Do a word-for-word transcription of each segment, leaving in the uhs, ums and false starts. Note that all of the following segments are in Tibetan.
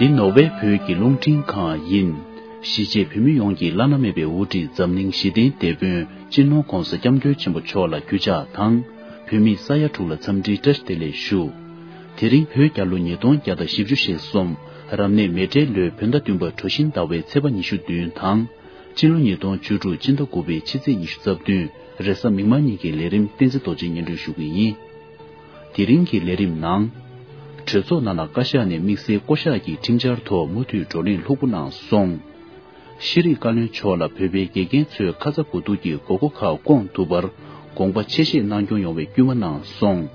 འདི་ནོར་ཝེ་བོད་ཀྱི་རླུང་འཕྲིན་ཁང་ཡིན། གཞིས་བྱེས་བོད་མི་ཡོངས་ཀྱི་བླ་ན་མེད་པའི་དབུ་ཁྲིད་འཛམ་གླིང་ཞི་བདེའི་དེད་དཔོན་སྤྱི་ནོར་༧གོང་ས་༧སྐྱབས་མགོན་ཆེན་པོ་མཆོག་ལ་གུས་ཕྱག་དང་། བོད་མིའི་ས་ཡ་དྲུག་ལ་འཚམས་འདྲིའི་བཀྲ་ཤིས་བདེ་ལེགས་ཞུ། དེ་རིང་བོད་རྒྱལ་ལོ་ཉིས་སྟོང་བརྒྱ་དང་བཞི་བཅུ་ཞེ་གསུམ། རབ་གནས་མེ་སྤྲེལ་ལོའི་བོད་ཟླ་བདུན་པ་གྲོ་བཞིན་ཟླ་བའི་ཚེས་པ་ཉི་ཤུ་བདུན་དང་། སྤྱི་ལོ་ཉིས་སྟོང་བཅུ་དྲུག་སྤྱི་ཟླ་དགུ་པའི་ཕྱི་ཚེས་ཉི་ཤུ་རྩ་བདུན། རེས་གཟའ་མིག་དམར་ཉིན་གྱི་ལས་རིམ་བསྟན་འཛིན་རྡོ་རྗེས་སྙན་སྒྲོན་ཞུ་གི་ཡིན། དེ་རིང་གི་ལས་རིམ་ནང་། གྲོས་ཚོགས་ནང་ལ་བཀའ་ཤག་ནས་དམིགས་བསལ་བསྐོ་གཞག་གི་ཁྲིམས་འཆར་ཐོག་མུ་མཐུད་བགྲོ་གླེང་ལྷུག་པོ་གནང་སོང་། ཤེས་རིག་བཀའ་བློན་མཆོག་ལ་བོད་པའི་དགེ་རྒན་ཚོས་ཁ་ཚ་དགོས་གཏུགས་ཀྱི་དགོས་མཁོ་ཁག་སྐོང་ཐུབ་པར་དགོངས་པ་ཆེ་བཞེས་གནང་སྐྱོང་ཡོང་བའི་སྐུལ་མ་གནང་སོང་།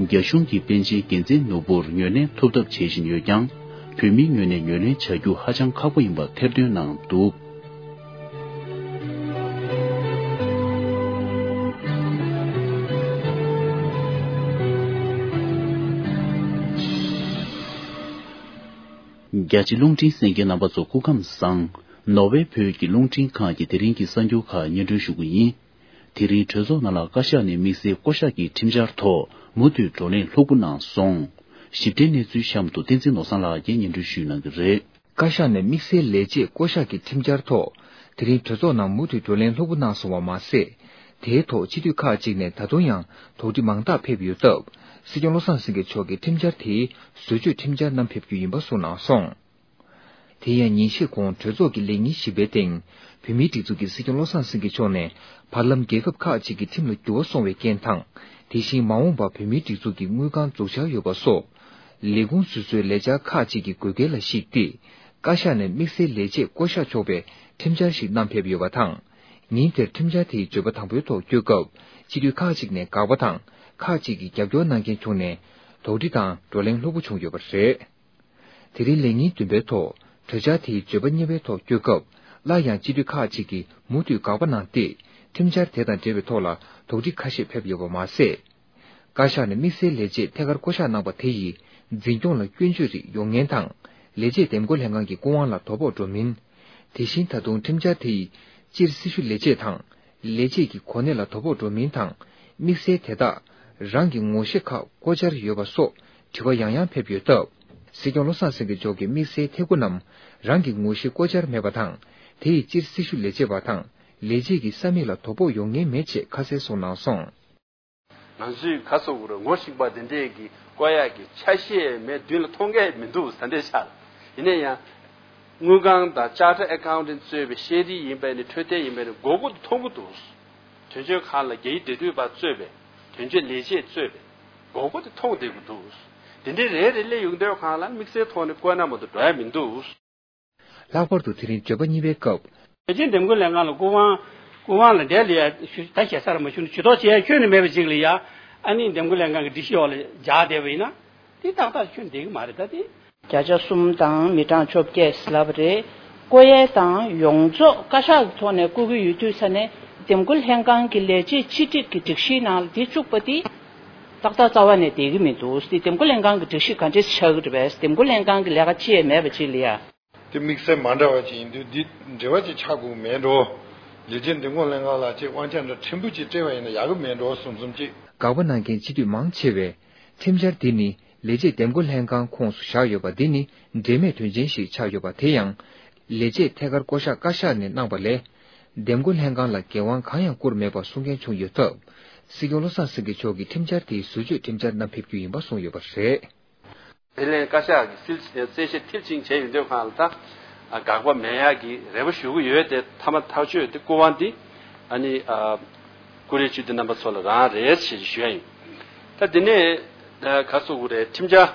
རྒྱ་གཞུང་གིས་པཎ་ཆེན་རྒྱལ་མཚན་ནོར་བུར་ངོས་ལེན་ཐུབ་ཐབས་བྱེད་བཞིན་ཡོད་ཀྱང་། བོད་མིའི་ངོས་ནས་ངོས་ལེན་བྱ་རྒྱུ་ཧ་ཅང་ཁག་པོ་ཡིན་པ་ཐེར་འདོན་གནང་འདུག། རྒྱ་ཆེ་རླུང་འཕྲིན་གསན་མཁན་རྣམ་པ་ཚོ་སྐུ་ཁམས་བཟང་། ནོར་ཝེ་བོད་ཀྱི་རླུང་འཕྲིན་ཁང་གི་དེ་རིང་གི་གསར་འགྱུར་ཁག་སྙན་སྒྲོན་ཞུ་གི་ཡིན། དེ་རིང་གྲོས་ཚོགས་ནང་ལ་བཀའ་ཤག་ནས་དམིགས་བསལ་བསྐོ་གཞག་གི་ཁྲིམས་འཆར་ཐོག་མུ་མཐུད་བགྲོ་གླེང་ལྷུག་པོ་གནང་སོང་། ཞིབ་ཕྲའི་གནས་ཚུལ་གཤམ་དུ་བསྟན་འཛིན་ནོར་བཟང་ལགས་ཀྱིས་སྙན་སྒྲོན་ཞུ་གནང་གི་རེད། བཀའ་ཤག་ནས་དམིགས་བསལ་ལས་བྱེད་བསྐོ་གཞག་གི་ཁྲིམས་འཆར་ཐོག་དེ་རིང་གྲོས་ཚོགས་ནང་མུ་མཐུད་བགྲོ་གླེང་ལྷུག་པོ་གནང་སོང་བ་མ་ཟད། དེའི་ཐོག་སྤྱི་འཐུས་ཁག་ཅིག་ནས་ད་དུང་ཡང་དོགས་འདྲི་མང་དག་ཕེབས་ཡོད་སྟབས། སྲིད་སྐྱོང་བློ་བཟང་སེང་གེ་མཆོག་གིས་ཁྲིམས་འཆར་དེའི་བཟོ་བཅོས་ཁྲིམས་འཆར་བསྣམས་ཕེབས་རྒྱུ་ཡིན་པ་གསུངས་གནང་སོང་། དེ་ཡང་ཉིན་ཤས་གོང་གྲོས་ཚོགས་ཀྱི་ལས་ཉིན་བཞི་པའི་སྟེང་། བོད་མིའི་སྒྲིག་འཛུགས་ཀྱི་སྲིད་སྐྱོང་བློ་བཟང་སེང་གེ་མཆོག་ནས་བར་ལམ་རྒྱལ་ཁབ་ཁག་ཅིག་གི་ཁྲིམས་ལ་འགྱུར་བ་སོང་བའི་རྐྱེན་དང་། དེ་བཞིན་མ་འོངས་པར་བོད་མིའི་སྒྲིག་འཛུགས་ཀྱི་དངུལ་ཁང་འཛུགས་འཆར་ཡོད་པ་སོགས། ལས་ཁུངས་སོ་སོའི་ལས་འཆར་ཁག་ཅིག་གི་དགོས་གལ་ལ་གཞིགས་ཏེ། བཀའ་ཤག་ནས་དམིགས་བསལ་ལས་བྱེད་བསྐོ་གཞག་ཆོག་པའི་ཁྲིམས་འཆར་ཞིག་བསྣམས་ཕེབས་ཡོད་པ་དང་། ཉིན་དེར་ཁྲིམས་འཆར་དེའི་བརྗོད་པ་དང་པོའི་ཐོག་བསྐྱོད་སྐབས། སྤྱི་འཐུས་ཁག་ཅིག་ནས་དགག་པ་དང་། ཁག་ཅིག་གིས་རྒྱབ་སྐྱོར་གནང་མཁན་བྱུང་ནས། དོགས་འདྲི་དང་བགྲོ་གླེང་ལྷུག་པོ་བྱུང་ཡོད་པ་རེད། དེ་རིང་ལས་ཉིན་བདུན་པའི་ཐོག་གྲོས་འཆར་དེའི་བརྗོད་པ་གཉིས་པའི་ཐོག་བསྐྱོད་སྐབས། སླར་ཡང་སྤྱི་འཐུས་ཁག་ཅིག་གིས་མུ་མཐུད་དགག་པ་གནང་སྟེ། ཁྲིམས་འཆར་དེ་དང་འབྲེལ་བའི་ཐོག་ལ་དོགས་འདྲི་ཁ་ཤས་ཕེབས་ཡོད་པ་མ་ཟད། བཀའ་ཤག་ནས་དམིགས་བསལ་ལས་བྱེད་ཐད་ཀར་བསྐོ་གཞག་གནང་པ་དེ་ཡིས་འཛིན་སྐྱོང་ལ་སྐྱོན་བརྗོད་རིགས་ཡོང་ངེས་དང་། ལས་བྱེད་འདེམས་བསྐོ་ལྷན་ཁང་གི་སྐུ་དབང་ལ་དོ་ཕོག་འགྲོ་མིན། དེ་བཞིན་ད་དུང་ཁྲིམས་འཆར་དེ་ཡིས་སྤྱིར་སྲི་ཞུ་ལས་བྱེད་དང་། ལས་བྱེད་ཀྱི་གོ་གནས་ལ་དོ་ཕོག་འགྲོ་མིན་དང་། དམིགས་བསལ་དེ་དག་རང་གི་ངོ་ཤེས་ཁག་བསྐོ་འཆར་ཡོད་པ་སོགས་དྲི་བ་ཡང་ཡང་ཕེབས་ཡོད་སྟབས། སྲིད་སྐྱོང་བློ་བཟང་སེང་གེ་མཆོག་གིས་དམིགས་བསལ་ཐད་ཁུར་རྣམས་རང་གི་ངོ་ཤེས་བསྐོ་འཆར་མེད་པ་དང་། དེ་ཡིས་སྤྱིར་སྲི་ཞུ་ལས་བྱེད་པ་དང་ལས་བྱེད་ཀྱི་ས་མིག་ལ་དོ་ཕོག་ཡོང་ངེས་མེད་ཅེས་ཁ་གསལ་གསུངས་གནང་སོང་། ང་ཚོས་ག་སོགས་རུ་ངོ་ཤེས་པ་དེ་འདྲས་ཀྱི་བསྐོ་ཡག་གི་ཆ་ཤས་མེད་མདུན་ལ་མཐོང་གི་མི་འདུག་ཟ་འདྲས་ཆགས། ཡིན་ན་ཡང་། དངུལ་ཁང་དང་ཅར་ཊར་ཨེ་ཁའུན་ཊན་གཙོས་པའི་ཤེས་རིག་ཡིན་པ་ནི་འཕྲོད་བསྟེན་ཡིན་པ་ནི་དགོས་མཁོ་དེ་མཐོང་གི་འདུག་དོན་གཅོད་ཁང་ལ་རྒྱ་ཡིག་འབྲེལ་མཐུད་པ་གཙོས་པའི་དོན་གཅོད་ལས་བྱེད་གཙོས་པའི་དགོས་མཁོ་དེ་མཐོང་བསྡད་ཀྱི་འདུག་དེ་འདྲའི་རེ་རེ་སླེབས་ཡོང་དུས་སྒང་ལ་དམིགས་བསལ་ཐོག་ནས་བསྐོ་ན་མ་གཏོགས་འགྲོ་ཡ་མི་འདུག་ལྷག་པར་དུ་དེ་རིང་བརྗོད་པ་གཉིས་པའི་སྐབས། རྒྱལ་སྤྱིའི་འདེམས་བསྐོ་ལྷན་ཁང་ལ་སྐུ་དབང་། སྐུ་དབང་ལ་འབྲེལ་ལ་ཡ་ཞུ་ད་ཞེ་ས་ར་མ་ཞུ་ནས་ཇུས་གཏོགས་བྱེད་ཡ་ཁྱོན་ནས་མེད་པ་ཅིག་ལ་ཡ། ཨ་ནི་འདེམས་བསྐོ་ལྷན་ཁང་གི་སྒྲིག་གཞི་འོག་ལ་འཇགས་བསྡད་པ་ཡིན་ན། དེ་ཏག་ཏག་ཁྱོན་བསྡད་ཀྱི་མ་རེད་ད་དེ། བརྒྱ་ཆ་གསུམ་དང་མི་གྲངས་བཅོ་བརྒྱད་ལབ་པ་རེད། བསྐོ་ཡས་དང་ཡོངས་རྫོགས་བཀའ་ཤག་གི་ཐོག་ནས་བསྐོ་གི་ཡོད་དུས་ས་ནས་འདེམས་བསྐོ་ལྷན་ཁང་གི་ལས་བྱེད་ཕྱི་སྒྲིག་གི་སྒྲིག་གཞིའི་ནང་ལ་དེ་བཅུག་པ་དེ། ཏག་ཏག་རྩ་བ་ནས་བསྡད་ཀྱི་མི་འདུག་དེ་འདེམས་བསྐོ་ལྷན་ཁང་གི་སྒྲིག་གཞི་ག་འདྲས་ཆགས་ཀྱི་རེད་པས། འདེམས་བསྐོ་ལྷན་ཁང་གི་ལས་ཀ་ཅི་ཡང་མེད་པ་ཅིག་ལ་ཡ། དེ་དམིགས་བསལ་མ་འདྲ་བ་ཅིག་ཡིན་དུས་འདི་འབྲེལ་བ་ཅིག་ཆགས་དགོས་མེད་འགྲོ། ལས་བྱེད་འདེམས་བསྐོ་ལྷན་ཁང་ལ་ཅིག་དབང་ཆ་འདྲ་ཕྲན་བུ་ཅིག་སྤྲད་པ་ཡིན་ན་ཡག་གི་མེད་འགྲོ་བསམ་བསམ་ཅིག་དགག་པ་གནང་མཁན་སྤྱི་འཐུས་མང་ཆེ་བས། ཁྲིམས་འཆར་འདི་ནི་ལས་བྱེད་འདེམས་བསྐོ་ལྷན་ཁང་ཁོངས་སུ་བཞག་ཡོད་པ་འདི་ནི་འབྲེལ་མེད་དོན་ཆེན་ཞིག་ཆགས་ཡོད་པ་དེ་ཡང་། ལས་བྱེད་ཐད་ཀར་བསྐོ་གཞག་བཀའ་ཤག་ནས་གནང་པ་ལས། འདེམས་བསྐོ་ལྷན་ཁང་ལ་འགན་དབང་གང་ཡང་བསྐུར་མེད་པ་གསུང་མཁན་བྱུང་ཡོད་སྟབས། སྲིད་སྐྱོང་བློ་བཟང་སེང་གེ་མཆོག་གིས་ཁྲིམས་འཆར་དེའི་བཟོ་བཅོས་ཁྲིམས་འཆར་བསྣམས་ཕེབས་རྒྱུ་ཡིན་པ་གསུངས་ཡོད་པ་རེད། དེ་ལན་བཀའ་ཤག་གིས་སིལ་གསལ་བཤད་མཐིལ་ཕྱིན་བྱས་ཡོང་དུས་སྒང་ལ་ད། དགག་པ་མེད་ཡག་གི་རེ་བ་ཞུ་གི་ཡོད་དེ་མཐའ་མ་ཐག་གཅོད་དེ་སྐུ་དབང་འདི། ཨ་ནི། བཀུར་འོས་སྤྱི་འཐུས་རྣམ་པ་ཚོ་ལ་རང་རེད་ཞེས་ཞུ་ཡ་ཡིན། ད་དེ་ནས། ག་སོགས་རེད་ཁྲིམས་འཆར།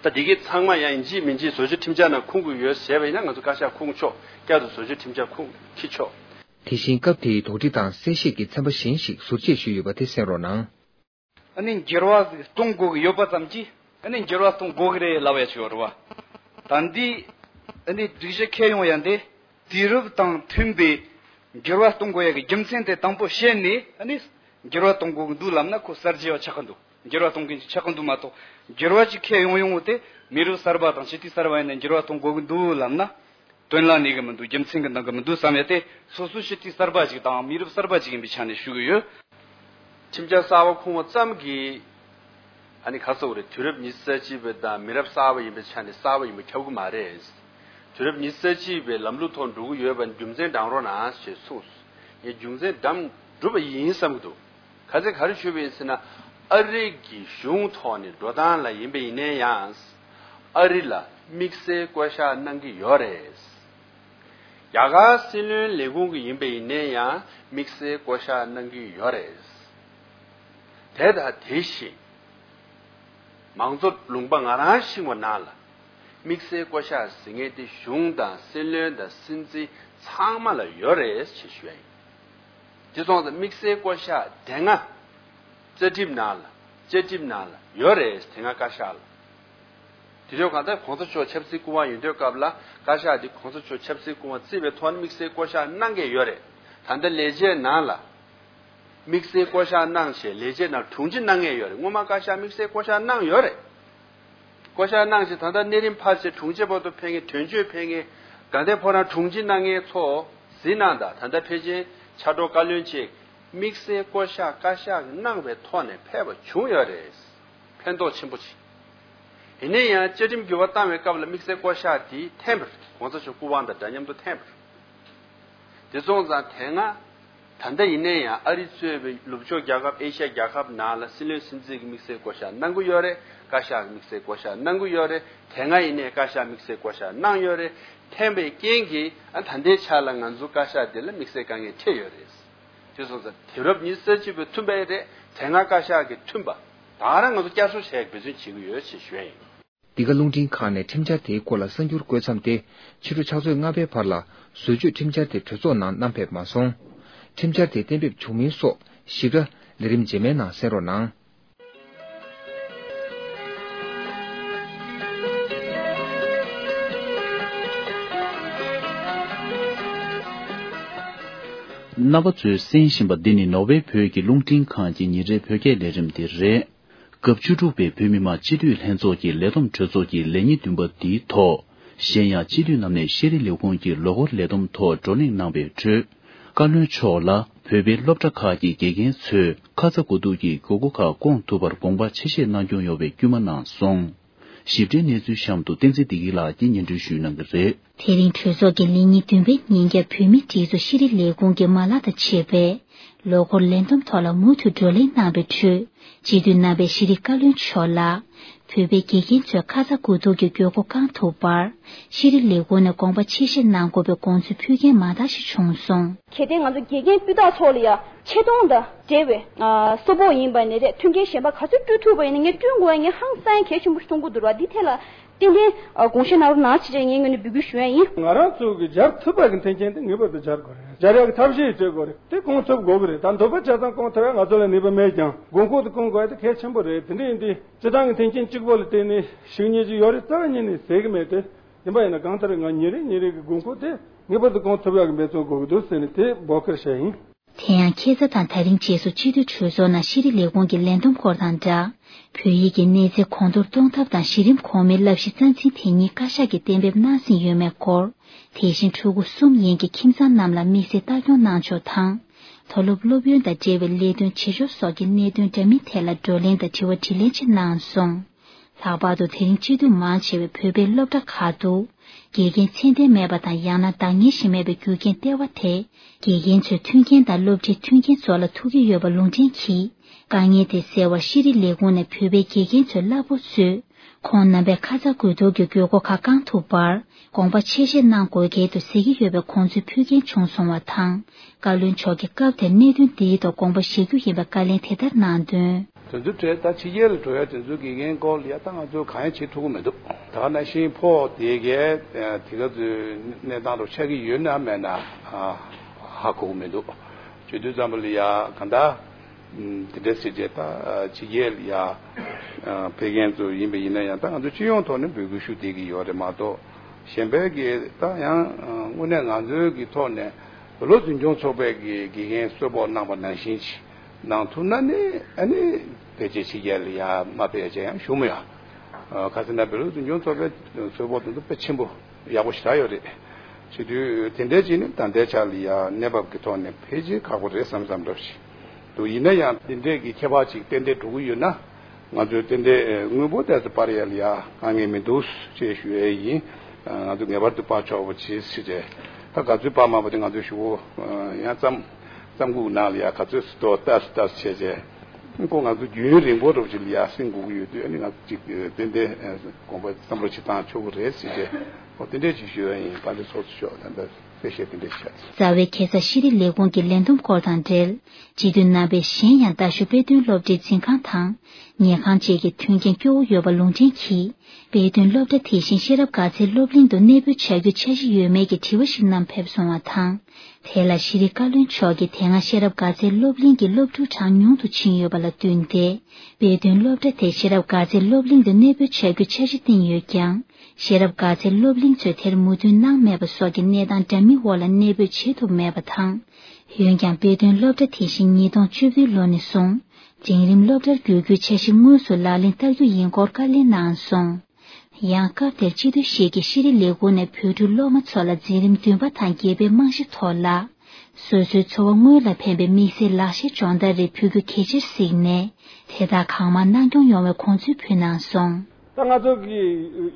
ད་འདི་གའི་ཚང་མ་ཡང་ཡིན་གཅིག་མིན་གཅིག་བཟོ་བཅོས་ཁྲིམས་འཆར་ནང་ཁུངས་དགོས་ཡོད་ཟེར་བ་ཡིན་ན་ང་ཚོ་བཀའ་ཤག་ཁུངས་ཆོག་བསྐྱར་དུ་བཟོ་བཅོས་ཁྲིམས་འཆར་ཁུངས་འཁྱེར་ཆོག་དེ་བཞིན་སྐབས་དེའི་དོགས་འདྲི་དང་གསལ་བཤད་ཀྱི་ཚན་པ་གཞན་ཞིག་ཟུར་བཅད་ཞུས་ཡོད་པ་དེ་གསན་རོགས་གནང་། ཨ་ནི་འགྱུར་བ་ཟིག་གཏོང་དགོས་ཀྱི་ཡོད་པ་ཙམ་གྱིས་ཨ་ནི་འགྱུར་བ་གཏོང་དགོས་ཀྱི་རེད་ལབ་ཡ་ཅིག་ཡོད་རེད་བ། ད་འདི་ཨ་ནི་སྒྲིག་གཞི་འཁྱེར་ཡོང་ཡ་འདི་དུས་རབས་དང་མཐུན་པའི་འགྱུར་བ་གཏོང་དགོས་ཡ་གི་རྒྱུ་མཚན་དེ་དང་པོ་བཤད་ནས་ཨ་ནི་འགྱུར་བ་གཏོང་དགོས་ཀྱི་འདུག་ལབ་ན་ཁོ་གསར་བརྗེ་བ་ཆགས་ཀྱི་འདུག་འགྱུར་བ་གཏོང་མཁན་ཅིག་ཆགས་ཀྱི་འདུག་མ་གཏོགས་འགྱུར་བ་ཅིག་འཁྱེར་ཡོང་ཡོང་བ་དེ་མི་རབས་གསར་པ་དང་སྤྱི་འཐུས་གསར་པ་ཡིན་ན་འགྱུར་བ་གཏོང་དགོས་ཀྱི་འདུག་ལབ་ན། དོན་ལ་གནས་ཀྱི་མི་འདུག་རྒྱུ་མཚན་གྱི་འདང་གི་མི་འདུག་བསམ་ཡ་དེ་སོ་སོའི་སྤྱི་འཐུས་གསར་པ་ཅིག་དང་མི་རབས་གསར་པ་ཅིག་ཡིན་པའི་ཆ་ནས་ཞུ་གི་ཡོད། ཁྲིམས་འཆར་གསར་པ་ཁུངས་པ་ཙམ་གྱིས་ ཨ་ནི་ག་རེ་ཟེར་དགོས་རེད། དུས་རབས་ཉི་ཤུ་རྩ་གཅིག་པའི་དང་མི་རབས་གསར་པ་ཡིན་པའི་ཆ་ནས་གསར་པ་ཡིན་པ་ཁྱབ་ཀྱི་མ་རེད། དུས་རབས་ཉི་ཤུ་རྩ་གཅིག་པའི་ལམ་ལུགས་ཐོག་འགྲོ་གི་ཡོད་པ་རྒྱུ་མཚན་བགྲང་རོགས་གནང་ཞེས་གསུངས། ངས་རྒྱུ་མཚན་བགྲང་གྲུབ་པ་ཡིན་བསམ་གྱི་འདུག་ག་ཚོད་ག་རེ་ཞུས་པ་ཡིན་ཟེར་ན། ཨ་རི་གི་གཞུང་ཐོག་ནས་འགྲོ་སྟངས་ལ་ཡིན་པ་ཡིན་ན་ཡང་། ཨ་རི་ལ་དམིགས་བསལ་བསྐོ་བཞག་གནང་གི་ཡོད་རེད། རྒྱ་གར་སྲིད་བློན་ལས་ཁུངས་ཀྱི་ཡིན་པ་ཡིན་ན་ཡང་དམིགས་བསལ་བསྐོ་བཞག་གནང་གི་ཡོད་རེད། དེ་དང་དེ་བཞིན། མང་གཙོ་ལུང་པ་ང་རང་ཤེས་པ་ནང་ལ། དམིགས་བསལ་བསྐོ་བཞག་ཟེར་མཁན་དེ་གཞུང་དང་སྲིད་བློན་དང་སྲིད་འཛིན་ཚང་མ་ལ་ཡོད་རེད་ཅེས་ཞུ་ཡ་ཡིན། དེ་སོང་ཙང་དམིགས་བསལ་བསྐོ་བཞག་དེ་སྔ་བཅའ་ཁྲིམས་ནང་ལ། བཅའ་ཁྲིམས་ནང་ལ་ཡོད་རེད། དེ་སྔ་བཀའ་ཤག་ལ། དེ་དུས་གང་ལྟར་གོང་ས་མཆོག་ཆབ་སྲིད་སྐུ་དབང་ཡོད་དུས་སྐབས་ལ་བཀའ་ཤག་འདི་གོང་ས་མཆོག་ཆབ་སྲིད་སྐུ་དབང་བརྩིས་པའི་ཐོག་ནས་དམིགས་བསལ་བསྐོ་བཞག་གནང་གི་ཡོད་རེད། ད་ལྟ་ལས་བྱེད་ནང་ལ་དམིགས་བསལ་བསྐོ་བཞག་གནང་ཞེས་ལས་བྱེད་ནང་དྲུང་ཆེ་གནང་མཁན་ཡོད་རེད། སྔོན་མ་བཀའ་ཤག་དམིགས་བསལ་བསྐོ་བཞག་གནང་ཡོད་རེད། བསྐོ་བཞག་གནང་ཞེས་ད་ལྟ་གནས་རིམ་ཕར་ཕྱིན་དྲུང་ཆེ་བར་དུ་ཕེབས་མཁན། དོན་གཅོད་ཕེབས་མཁན། དགའ་ལྡན་ཕོ་བྲང་དྲུང་ཆེ་གནང་མཁན་ཚོ་གཟིགས་གནང་དང་། ད་ལྟ་ཕལ་ཆེར་ཕྱག་རོགས་བཀའ་བློན་བཅས་དམིགས་བསལ་བསྐོ་བཞག་བཀའ་ཤག་གིས་གནང་བའི་ཐོག་ནས་ཕེབས་པ་བྱུང་ཡོད་རེད། ཕན་ཐོགས་ཆེན་པོ་ཆེ། ཡིན་ན་ཡང་བཅའ་ཁྲིམས་འགྱུར་བ་བཏང་བའི་སྐབས་ལ་དམིགས་བསལ་བསྐོ་བཞག་དེ་འཐེན་པ་རེད། གོང་ས་མཆོག་སྐུ་དབང་དང་འདྲ་མཉམ་དུ་འཐེན་པ་རེད། དེ་སོང་ཙང་དེ་སྔ། ད་ལྟ་ཡིན་ན་ཡང་ཨ་རི་གཙོས་པའི་ནུབ་ཕྱོགས་རྒྱལ་ཁབ། ཨེ་ཤ་ཡ་རྒྱལ་ཁབ་ནང་ལ་སྲིད་བློན་སྲིད་འཛིན་གྱི་དམིགས་བསལ་བསྐོ་བཞག་གནང་གི་ཡོད་རེད། བཀའ་ཤག་གི་དམིགས་བསལ་བསྐོ་བཞག་གནང་གི་ཡོད་རེད། དེ་སྔ་ཡིན་ནའི་བཀའ་ཤག་དམིགས་བསལ་བསྐོ་བཞག་གནང་ཡོད་རེད། འཐེན་པའི་རྐྱེན་གྱིས་ཨ་ད་ལྟའི་ཆ་ལ་ང་ཚོ་བཀའ་ཤག་འདི་ལ་དམིགས་བསལ་དཀའ་ངལ་འཕྲད་ཡོད་རེད། དེ་སོང་ཙང་དུས་རབས་ཉི་ཤུ་རྩ་གཅིག་པའི་མཐུན་པ་རེད། དེ་སྔ་བཀའ་ཤག་གི་མཐུན་པ་ད་ག་རང་ང་ཚོ་བསྐྱར་གསོ་བྱེད་ཡག་འབད་བརྩོན་བྱེད་ཀྱི་ཡོད་ཅེས་ཞུ་ཡ་ཡིན། འདི་ག་རླུང་འཕྲིན་ཁང་ནས་ཁྲིམས་འཆར་དེའི་སྐོར་ལ་གསར་འགྱུར་བཀོད་མཚམས་ཏེ། ཕྱི་དྲོ་ཕྱག་ཚོད་ལྔ་པའི་བར་ལ་བཟོ་བཅོས་ཁྲིམས་འཆར་དེ་གྲོས་ཚོགས་ནང་བསྣམས་ཕེབས་མ་སོང་། ཁྲིམས་འཆར་དེ་གཏན་འབེབས་བྱུང་མིན་སོགས་ཞིབ་ཕྲ་ལས་རིམ་རྗེས་མའི་ནང་གསན་རོགས་གནང་། རྣམ་པ་ཚོས་གསན་བཞིན་པ་འདི་ནི་ནོར་ཝེ་བོད་ཀྱི་རླུང་འཕྲིན་ཁང་གི་ཉིན་རེའི་བོད་སྐད་ལས་རིམ་དེ་རེད། སྐབས་བཅུ་དྲུག་པའི་བོད་མི་མང་སྤྱི་འཐུས་ལྷན་ཚོགས་ཀྱི་ལས་བསྡོམས་གྲོས་ཚོགས་ཀྱི་ལས་ཉིན་བདུན་པ་འདིའི་ཐོག་གཞན་ཡང་སྤྱི་འཐུས་རྣམས་ནས་ཤེས་རིག་ལས་ཁུངས་ཀྱི་ལོ་འཁོར་ལས་བསྡོམས་ཐོག་བགྲོ་གླེང་གནང་བའི་ཁྲོད། བཀའ་བློན་མཆོག་ལ་བོད་པའི་སློབ་གྲྭ་ཁག་གི་དགེ་རྒན་ཚོས་ཁ་ཚ་དགོས་གཏུགས་ཀྱི་དགོས་མཁོ་ཁག་སྐོང་ཐུབ་པར་དགོངས་པ་ཆེ་བཞེས་གནང་སྐྱོང་ཡོང་བའི་སྐུལ་མ་གནང་སོང་། ཞིབ་ཕྲའི་གནས་ཚུལ་གཤམ་དུ་བསྟན་འཛིན་བདེ་སྐྱིད་ལགས་ཀྱིས་སྙན་སྒྲོན་ཞུ་གནང་གི་རེད། དེ་རིང་གྲོས་ཚོགས་ཀྱི་ལས་ཉིན་བདུན་པའི་ཉིན་རྒྱབ་བོད་མིའི་སྒྲིག་འཛུགས་ཤེས་རིག་ལས་ཁུངས་ཀྱི་མ་ལག་དང་བཅས་པའི་ལོ་འཁོར་ལས་བསྡོམས་ཐོག་ལ་མུ་མཐུད་བགྲོ་གླེང་གནང་བའི་ཁྲོད། སྤྱི་འཐུས་རྣམ་པས་ཤེས་རིག་བཀའ་བློན་མཆོག་ལ། བོད་པའི་དགེ་རྒན་ཚོས་ཁ་ཚ་དགོས་གཏུགས་ཀྱི་དགོས་མཁོ་བསྐང་ཐུབ་པར། ཤེས་རིག་ལས་ཁུངས་ནས་དགོངས་པ་ཆེ་བཞེས་གནང་དགོས་པའི་དགོངས་ཚུལ་ཕུལ་མཁན་མང་དག་ཞིག་བྱུང་སོང་། གལ་ཏེ་ང་ཚོ་དགེ་རྒན་སྤུས་དག་ཚོ་ལ་ཡ་ཆེ་མཐོང་དང་འབྲེལ་བའི་ཨ་གསོལ་ཕོགས་ཡིན་པ་ནི་རེད། མཐུན་རྐྱེན་གཞན་པ་ག་ཚོད་བསྐྲུན་ཐུབ་པ་ཡིན་ན་ངས་བསྐྲུན་དགོས་ཡ་ངས་ཧང་སང་གལ་ཆེན་པོ་ཞིག་མཐོང་གི་འདུག་ར། འདི་ཐད་ལ་ཏན་ཏན་ཨ་དགོངས་བཞེས་གནང་རོགས་གནང་ཞེས་ངས་ངོས་ནས་འབོད་སྐུལ་ཞུ་ཡ་ཡིན། ང་རང་ཚོ་གི་སྦྱར་ཐུབ་པ་གི་མཐུན་རྐྱེན་དེ་ངེས་པར་དུ་སྦྱར་དགོས་རེད། སྦྱར་ཡག་གི་ཐབས་ཤེས་བྱེད་དགོས་རེད། དེ་སྐོང་ཐུབ་དགོས་གི་རེད། ད་འདོད་པ་ཆ་ཚང་སྐོང་ཐུབ་ཡ་ང་ཚོ་ལ་ནུས་པ་མེད་ཀྱང་དགོས་མཁོ་དེ་སྐོང་དགོས་ཡ་དེ་གལ་ཆེན་པོ་རེད། དེ་འདྲ་ཡིན་དུས་སྤྱི་བཏང་གི་མཐུན་རྐྱེན་གཅིག་པོ་ལ་བརྟེན་ནས་ཞུ་སྙིང་རྗེ་ཡོད་རེད་རྩ་བ་ཉིད་ནས་ཟེར་གི་མེད་དེ། ཡིན་པ་ཡིན་ན་གང་ལྟར་ང་ཉིན་རེ་ཉིན་རེ་གི་དགོས་མཁོ་དེ་ངེས་པར་དུ་སྐོང་ཐུབ་ཡག་གི་འབད་བརྩོན་དགོས་ཀྱི་འདུག་ཟེར་ནས་དེ་འབོད་སྐུལ་བྱས་ཡིན། དེ་ཡང་ཁ་སང་དང་ད་རིང་རྗེས་སུ་སྤྱི་འཐུས་གྲོས་ཚོགས་ནང་ཤེས་རིག་ལས་ཁུངས་ཀྱི་ལས་བསྡོམས་སྐོར་དང་སྦྲགས། བོད་ཡིག་གི་གནས་ཚད་གོང་མཐོར་གཏོང་ཐབས་དང་གཞི་རིམ་གོང་མའི་བསླབ་གཞི་རྩ་འཛིན་དེ་ཉིད་བཀའ་ཤག་གིས་གཏན་འབེབས་གནང་ཟིན་ཡོད་མེད་སྐོར། དེ་བཞིན་ཕྲུ་གུ་གསུམ་ཡན་གྱི་ཁྱིམ་ཚང་རྣམས་ལ་དམིགས་བསལ་ལྟ་སྐྱོང་གནང་ཕྱོགས་དང་། མཐོ་སློབ་སློབ་ཡོན་དང་འབྲེལ་བའི་ལས་དོན་བྱེད་ཕྱོགས་སོགས་ཀྱི་གནད་དོན་འདྲ་མིན་ཐད་ལ་བགྲོ་གླེང་དང་དྲི་བ་དྲིས་ལན་བཅས་གནང་སོང་། ལྷག་པར་དུ་དེ་རིང་སྤྱི་འཐུས་མང་ཆེ་བས་བོད་པའི་སློབ་གྲྭ་ཁག་ཏུ་དགེ་རྒན་ཚད་ལྡན་མེད་པ་དང་ཡང་ན་འདང་ངེས་ཤིག་མེད་པའི་རྒྱུ་རྐྱེན་ལྟེ་བ་དེ་དགེ་རྒན་ཚོའི་མཐུན་རྐྱེན་དང་སློབ་ཁྲིད་མཐུན་རྐྱེན་སོགས་ལ་ཐུག་གི་ཡོད་པ་ལུང་འདྲེན་གྱིས། དཀའ་ངལ་དེ་སེལ་བར་ཤེས་རིག་ལས་ཁུངས་ནས་བོད་པའི་དགེ་རྒན་ཚོའི་གླ་ཕོགས་ཚུད། ཁོང་རྣམ་པས་ཁ་ཚ་དགོས་གཏུགས་ཀྱི་དགོས་མཁོ་ཁག་བསྐང་ཐུབ་པར་དགོངས་པ་ཆེ་བཞེས་གནང་དགོས་གལ་འདུག་ཟེར་གྱི་ཡོད་པའི་དགོངས་ཚུལ་ཕུལ་མཁན་བྱུང་སོང་བ་དང་། བཀའ་བློན་མཆོག་གིས་སྐབས་དེར་གནད་དོན་འདིའི་ཐོག་དགོངས་པ་བཞེས་རྒྱུ་ཡིན་པའི་བཀའ་ལན་དེ་ལྟར་གནང་དོན། དེ་ཚོའི་གྲས་ད་ཕྱི་རྒྱལ་ལ་འགྲོ་ཡ་དེ་ཚོའི་དགེ་རྒན་སྐོར་ལ་ཡ་ད་ང་ཚོས་གང་ཡང་བྱེད་ཐུབ་ཀྱི་མི་འདུག་ད་ག་ནང་བཞིན་ཕོ་དེ་གས་དེ་ག་ཚོའི་གནས་སྟངས་དང་ཆགས་ཀྱི་ཡོད་ན་མེད་ན་ཧ་གོ་གི་མི་འདུག་བྱེད་དུས་ཙམ་པ་ལ་ཡ་ག་འདྲ། དེ་འདྲ་ཟེར་བྱས་ད་ཕྱི་རྒྱལ་ལ་ཡ་ཕེབས་མཁན་ཚོ་ཡིན་པ་ཡིན་ན་ཡང་ད་ང་ཚོ་སྤྱི་ཡོངས་ཐོག་ནས་འབོད་སྐུལ་ཞུ་བསྡད་ཀྱི་ཡོད་རེད་མ་གཏོགས་གཞན་པའི་གི་ད་ཡང་དངོས་གནས་ང་ཚོའི་གི་ཐོག་ནས་བོད་སློབ་འཛིན་སྐྱོང་ཚོགས་པའི་གི་དགེ་རྒན་གསོལ་ཕོགས་གནང་པ་ནང་བཞིན་གྱི་གནང་ཐུབ་ན་ནི་ཨ་ནི་ཕལ་ཆེར་ཕྱི་རྒྱལ་ལ་ཡ་མ་ཕེབས་བྱས་ཡང་ཞུ་མི་ཡོད། ཁ་སང་ན་བོད་སློབ་འཛིན་སྐྱོང་ཚོགས་པའི་གསོལ་ཕོགས་དེ་ཚོ་དཔེ་ཆེན་པོ། ཡག་པོ་ཞེ་དྲག་ཡོད་རེད། བྱེད་དུས་དེ་འདྲའི་ཅིག་ནི་ད་ལྟའི་ཆ་ལ་ཡ་གནས་བབ་ཀྱི་ཐོག་ནས་ཕལ་ཆེར་ཁག་པོ་རེད་བསམ་བསམ་འདྲ་ཞིག་འདུག་ཡིན་ན་ཡང་འདི་འདྲའི་གི་ཁྱད་པར་ཅིག་ཏན་ཏན་འགྲོ་གི་ཡོད་ན་ ང་ཚོས་ཏན་ཏན་དངུལ་འབོར་དེ་ཚོ་སྤར་ཡ་ལ་ཡ་དཀའ་ངལ་མི་འདུག་ཅེས་ཞུ་ཡས་ཡིན། ང་ཚོ་ངེས་པར་དུ་སྤར་ཆོག་པ་བྱེད་ཟེར་ཏེ། ད་ག་ཚོད་སྤར་མ་པ་དེ་ང་ཚོས་ཞུ་གོ་ཡང་བརྩམས་བརྩམས་སྒུག་ནང་ལ་ཡ་ག་ཚོད་སུ་ཏོག་ལྟ་སུ་ལྟ་སུ་བྱས་རྗེས། ཁོ་ང་ཚོ་རྒྱུན་རིང་པོ་རུ་ཅིག་ལ་ཡ་སེང་དགོས་ཀྱི་ཡོད་དུས། ཨ་ནི་ང་ཚོ་ཅིག་ཏན་ཏན་དགོངས་པ་བསམ་བློ་ཞིག་བཏང་ཆོག་གི་རེད་ཟེར་ཏེ། ཨོ་དེ་འདྲས་ཅིག་ཞུ་ཡ་ཡིན། དཔལ་ལྡན་ཚོགས་གཙོ་མཆོག་ད་ལྟ་གསལ་བཤད་དེ་འདྲས་བྱས། རྩ་བའི་ཁ་སང་ཤེས་རིག་ལས་ཁུངས་ཀྱི་ལས་བསྡོམས་སྐོར་དང་འབྲེལ། སྤྱི་འཐུས་རྣམ་པས་གཞན་ཡང་རྡ་ཤོད་དཔེ་སྟོན་སློབ་གྲྭའི་འཛིན་ཁང་དང་། ཉལ་ཁང་བཅས་ཀྱི་མཐུན་རྐྱེན་སྐྱོ་བོ་ཡོད་པ་ལུང་འདྲེན་གྱིས། དཔེ་སྟོན་སློབ་གྲྭ་དེ་བཞིན་ཤེས་རབ་དགའ་ཚལ་སློབ་གླིང་དུ་གནས་སྤོའི་བྱ་རྒྱུའི་འཆར་གཞི་ཡོད་མེད་ཀྱི་དྲི་བ་ཞིག་བསྣམས་ཕེབས་སོང་བ་དང་། དེ་ལ་ཤེས་རིག་བཀའ་བློན་མཆོག་གིས་དེ་སྔ་ཤེས་རབ་དགའ་ཚལ་སློབ་གླིང་གི་སློབ་ཕྲུག་གྲངས་ཉུང་དུ་ཕྱིན་ཡོད་པ་ལ་བསྟུན་ཏེ། དཔེ་སྟོན་སློབ་གྲྭ་དེ་ཤེས་རབ་དགའ་ཚལ་སློབ་གླིང་དུ་གནས་སྤོའི་བྱ་རྒྱུའི་འཆར་གཞི་བཏིང་ཡོད་ཀྱང་། ཤེས་རབ་དགའ་ཚལ་སློབ་གླིང་ཚོས་དེར་མོས་མཐུན་གནང་མེད་པ་སོགས་ཀྱི་གནས་སྟངས་འདྲ་མིན་འོག་ལ་གནས་སྤོས་བྱེད་ཐུབ་མེད་པ་དང་། འོན་ཀྱང་དཔེ་སྟོན་སློབ་གྲྭ་དེ་བཞིན་ཉིས་སྟོང་བཅུ་བདུན་ལོ་ནས་བཟུང་འབྲིང་རིམ་སློབ་གྲྭར་བསྒྱུར་རྒྱུའི་འཆར་གཞི་དངོས་སུ་ལག་ལེན་བསྟར་རྒྱུ་ཡིན་སྐོར་བཀའ་ལན་གནང་སོང་། ཡང་སྐབས་དེར་སྤྱི་འཐུས་ཤིག་གིས་ཤེས་རིག་ལས་ཁུངས་ནས་བོད་ཕྲུག་སློབ་མ་ཚོ་ལ་འཛིན་རིམ་བདུན་པ་དང་བརྒྱད་པའི་རྨང་གཞི་ཐོག་ལ། སོ་སོའི་འཚོ་བ་དངོས་ལ་ཕན་པའི་དམིགས་བསལ་ལག་ཤེས་སྦྱོང་བརྡར་རེ་ཕུལ་རྒྱུ་གལ་ཆེར་གཟིགས་ནས། དེ་དག་གང་མང་གནང་སྐྱོང་ཡོང་བའི་དགོངས་ཚུལ་ཕུལ་གནང་སོང་། ད་ང་ཚོ་གི་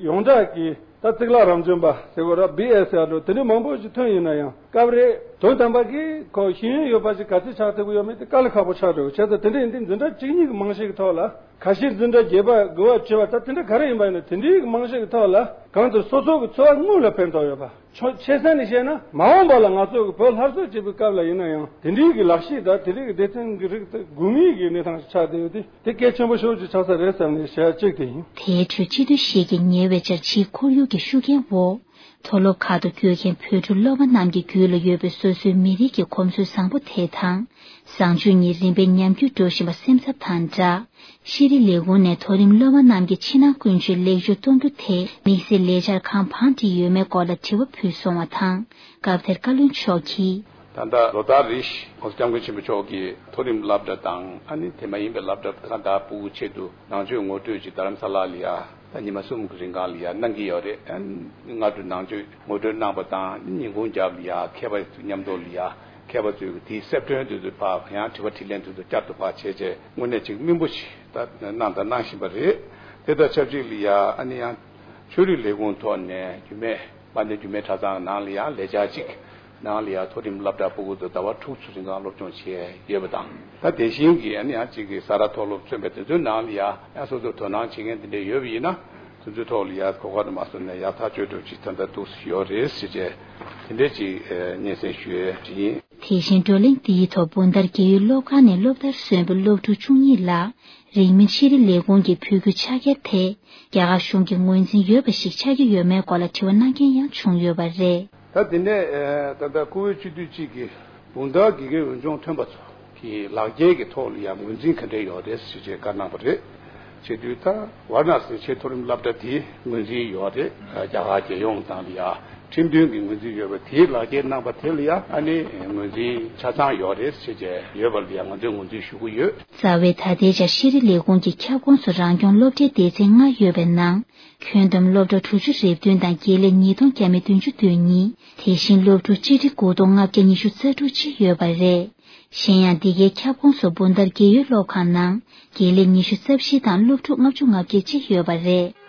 ཡོངས་གྲགས་ཀྱི་ད་གཙུག་ལག་རང་བྱོན་པ་ཟེར་དགོས་ར། བི་ཨེ་སི་ཨར་འགྲོ་དེ་འདྲའི་མང་པོ་ཞིག་ཐོན་ཡིན་ན་ཡང་། སྐབས་རེ་དོན་དམ་པ་གི་ཁོ་ཤེས་ཡོན་ཡོད་པ་ཞིག་ག་ཚོད་ཆགས་ཐུབ་ཀྱི་ཡོད་མེད་དེ་དཀའ་ལས་ཁག་པོ་ཆགས་འགྲོ། བྱས་ཙང་དེ་འདྲའི་འདི་འཛིན་གྲྭ་བཅུ་གཉིས་ཀྱི་རྨང་གཞི་གི་ཐོག་ལ། ཁ་ཤས་འཛིན་གྲྭ་བརྒྱད་པ་དགུ་པ་བཅུ་པ་ད་དེ་འདྲ་ག་རེ་ཡིན་པ་ཡིན་ན། དེ་འདྲའི་རྨང་གཞི་གི་ཐོག་ལ་གང་ལྟར་སོ་སོ་གི་འཚོ་བ་དངོས་ལ་ཕན་ཐོགས་ཡོད་པ། ཆོ་ཆེ་ས་ནས་བཤད་ན། མ་འོངས་པ་ལ་ང་ཚོ་གི་བོད་སླར་གསོ་བྱེད་པའི་སྐབས་ལ་ཡིན་ན་ཡང་དེ་འདྲའི་གི་ལག་ཤེས་དང་དེ་འདྲའི་གི་སྡེ་ཚན་གི་རིགས་དེ་དགོས་ངེས་ཀྱི་གནས་སྟངས་ཤིག་ཆགས་བསྡད་ཡོད་དེ། དེ་གལ་ཆེན་པོ་ཤོས་ཅིག་ཆགས་ས་རེད་བསམ་ནས་བཤད་གཅིག་དེ་ཡིན། དེའི་ཁྲོད་སྤྱི་འཐུས་ཤིག་གིས་ཉེ་བའི་ཆར་ཕྱིའི་ཁོར་ཡུག་གི་ཤུགས་རྐྱེན་འོག་མཐོ་སློབ་ཁག་ཏུ་བསྐྱོད་མཁན་བོད་ཕྲུག་སློབ་མ་རྣམས་ཀྱི་རྒྱུད་ལ་ཡོད་པའི་སོ་སོའི་མི་རིགས་ཀྱི་གོམས་སྲོལ་བཟང་པོ་དེ་དང་། བཟང་སྤྱོད་གཉིས་རིམ་པས་ཉམས་རྒུད་འགྲོ་བཞིན་པ་སེམས་འཚབ་དང་སྦྲགས། ཤེས་རིག་ལས་ཁུངས་ནས་མཐོ་རིམ་སློབ་མ་རྣམས་ཀྱི་ཕྱི་ནང་ཀུན་སྤྱོད་ལེགས་བཅོས་གཏོང་རྒྱུ་དེ་དམིགས་བསལ་ལས་འཆར་གང་བང་བསྒྲིགས་ཡོད་མེད་སྐོར་ལ་དྲི་བ་ཕུལ་སོང་བ་དང་། སྐབས་དེར་བཀའ་བློན་མཆོག་གིས། ད་ལྟ་ལོ་ལྟར་རེ་བཞིན་༸གོང་ས་༸སྐྱབས་མགོན་ཆེན་པོ་མཆོག་གིས་མཐོ་རིམ་སློབ་གྲྭ་དང་། ཨ་ནི་དེ་མ་ཡིན་པའི་སློབ་གྲྭ་ཁག་དང་ཕྲུ་གུ་ཆེད་དུ་ནང་ཆོས་ངོ་སྤྲོད་ཅིག་རྡ་རམ་ས་ལ་ལ་ཡ། ད་ཉི་མ་གསུམ་གྱི་རིང་གང་ལ་ཡ་གནང་གི་ཡོད་རེད། ཨ་ནི་སྔ་དྲོ་ནང་ཆོས་ངོ་སྤྲོད་གནང་པ་དང་། ཉིན་གུང་རྒྱབ་ལ་ཡ་མཁས་པ་མཉམ་དུ་ལ་ཡ། མཁས་པ་ཚོས་དེའི་གསལ་སྒྲོན་དེ་ཚོ་ཕར་ཡང་དྲི་བ་དྲིས་ལན་དེ་ཚོ་བསྐྱར་དུ་ཕར་བྱས་རྗེས། དངོས་གནས་ཅིག་སྨིན་པོ་ཞིག་ད་གནང་དང་གནང་བཞིན་པ་རེད། དེ་དང་ཆབས་ཅིག་ལ་ཡ་ཨ་ནི་ཡང་ཆོས་རིག་ལས་ཁུངས་ཐོག་ནས་རྒྱུད་སྨད། དཔལ་ལྡན་རྒྱུད་སྨད་གྲྭ་ཚང་ནང་ལ་ཡ་ལས་འཆར་གཅིག་ནང་ལ་ཡ་མཐོ་རིམ་སློབ་གྲྭ་ཕྲུ་གུ་ཚོ་ཟླ་བ་དྲུག་ཙམ་རིང་གང་སློབ་སྦྱོང་བྱས་ཡོད་པ་དང་། ད་དེ་བཞིན་གྱི་ཨ་ནི་ཡང་གཅིག་གི་ས་རཱ་མཐོ་སློབ་མཚོན་པའི་དེ་ཚོའི་ནང་ལ་ཡ་ཡང་སོ་སོར་དོ་སྣང་བྱེད་མཁན་དེ་འདྲ་ཡོད་པ་ཡིན་ན། དེ་ཚོའི་ཐོག་ལ་ཡ་གོ་སྐབས་དུ་མ་སོང་ནས་ཡག་ཐག་ཆོད་འགྲོ་ཅིག་ད་ལྟ་འདུག་ཡོད་རེད་ཟེར་བྱས། དེ་འདྲ་ཅིག་སྙན་སེང་ཞུ་ཡས་ཅིག་ཡིན། དེ་བཞིན་བགྲོ་གླེང་འདིའི་ཐོག་སྦུག་མདའ་རྒས་ཡོལ་སློབ་ཁང་ནས་སློབ་མཐར་སོན་པའི་སློབ་ཕྲུག་བཅུ་གཉིས་ལ། རིང་མིན་ཤེས་རིག་ལས་ཁུངས་ཀྱིས་ཕུལ་རྒྱུའི་ཕྱག་འཁྱེར་དེ་རྒྱ་གར་གཞུང་གི་ངོས་འཛིན་ཡོད་པ་ཞིག་ཆགས་ཀྱི་ཡོད་མེད་སྐོར་ལ་དྲི་བ་གནང་མཁན་ཡང་བྱུང་ཡོད་པ་རེད། ད་དེ་ནས་ད་ལྟ་བཀུར་འོས་སྤྱི་འཐུས་གཅིག་གིས་སྦུག་མདའ་དགེ་རྒན་འོས་སྦྱོང་ཐོན་པ་ཚོ་གི་ལག་འཁྱེར་གྱི་ཐོག་ལ་ཡང་ངོས་འཛིན་ག་འདྲས་ཡོད་རེད་ཟེར་བྱས་བཀའ་གནང་བ་རེད། བྱེད་དུས་ད་ཝཱ་ར་ཎ་སིའི་ཆེས་མཐོ་རིམ་སློབ་གྲྭ་དེའི་ངོས་འཛིན་ཡོད་རེད། རྒྱ་གར་རྒྱལ་ཡོངས་དང་ལ་ཡ་ཁྲིམས་མཐུན་གྱི་ངོས་འཛིན་ཡོད་པ་དེའི་ལག་འཁྱེར་གནང་པ་དེ་ལ་ཡ་ཨ་ནི་ངོས་འཛིན་ཆ་ཚང་ཡོད་རེད་ཟེར་བྱས་ཡོད་པ་ལ་ཡ་ང་ཚོས་ངོས་འཛིན་ཞུ་གི་ཡོད། རྩ་བའི་ད་ལྟའི་ཆར་ཤེས་རིག་ལས་ཁུངས་ཀྱི་ཁྱབ་ཁོངས་སུ་རང་སྐྱོང་སློབ་གྲྭའི་སྡེ་ཚན་ལྔ་ཡོད་པའི་ནང་། ཁྱོན་བསྡོམས་སློབ་གྲྭ་དྲུག་ཅུ་རེ་བདུན་དང་དགེ་ལས་ཉིས་སྟོང་བརྒྱ་མེད་བདུན་ཅུ་དོན་གཉིས། དེ་བཞིན་སློབ་ཕྲུག་སྤྱི་ཁྲེ་དགུ་སྟོང་ལྔ་བརྒྱ་ཉི་ཤུ་རྩ་དྲུག་ཅིག་ཡོད་པ་རེད། གཞན་ཡང་འདི་གའི་ཁྱབ་ཁོངས་སུ་སྦུག་མདའ་རྒས་ཡོལ་སློབ་ཁང་ནང་དགེ་ལས་ཉི་ཤུ་རྩ་བཞི་དང་སློབ་ཕྲུག་ལྔ་བཅུ་ང་བརྒྱད་ཅིག་ཡོད་པ་རེད།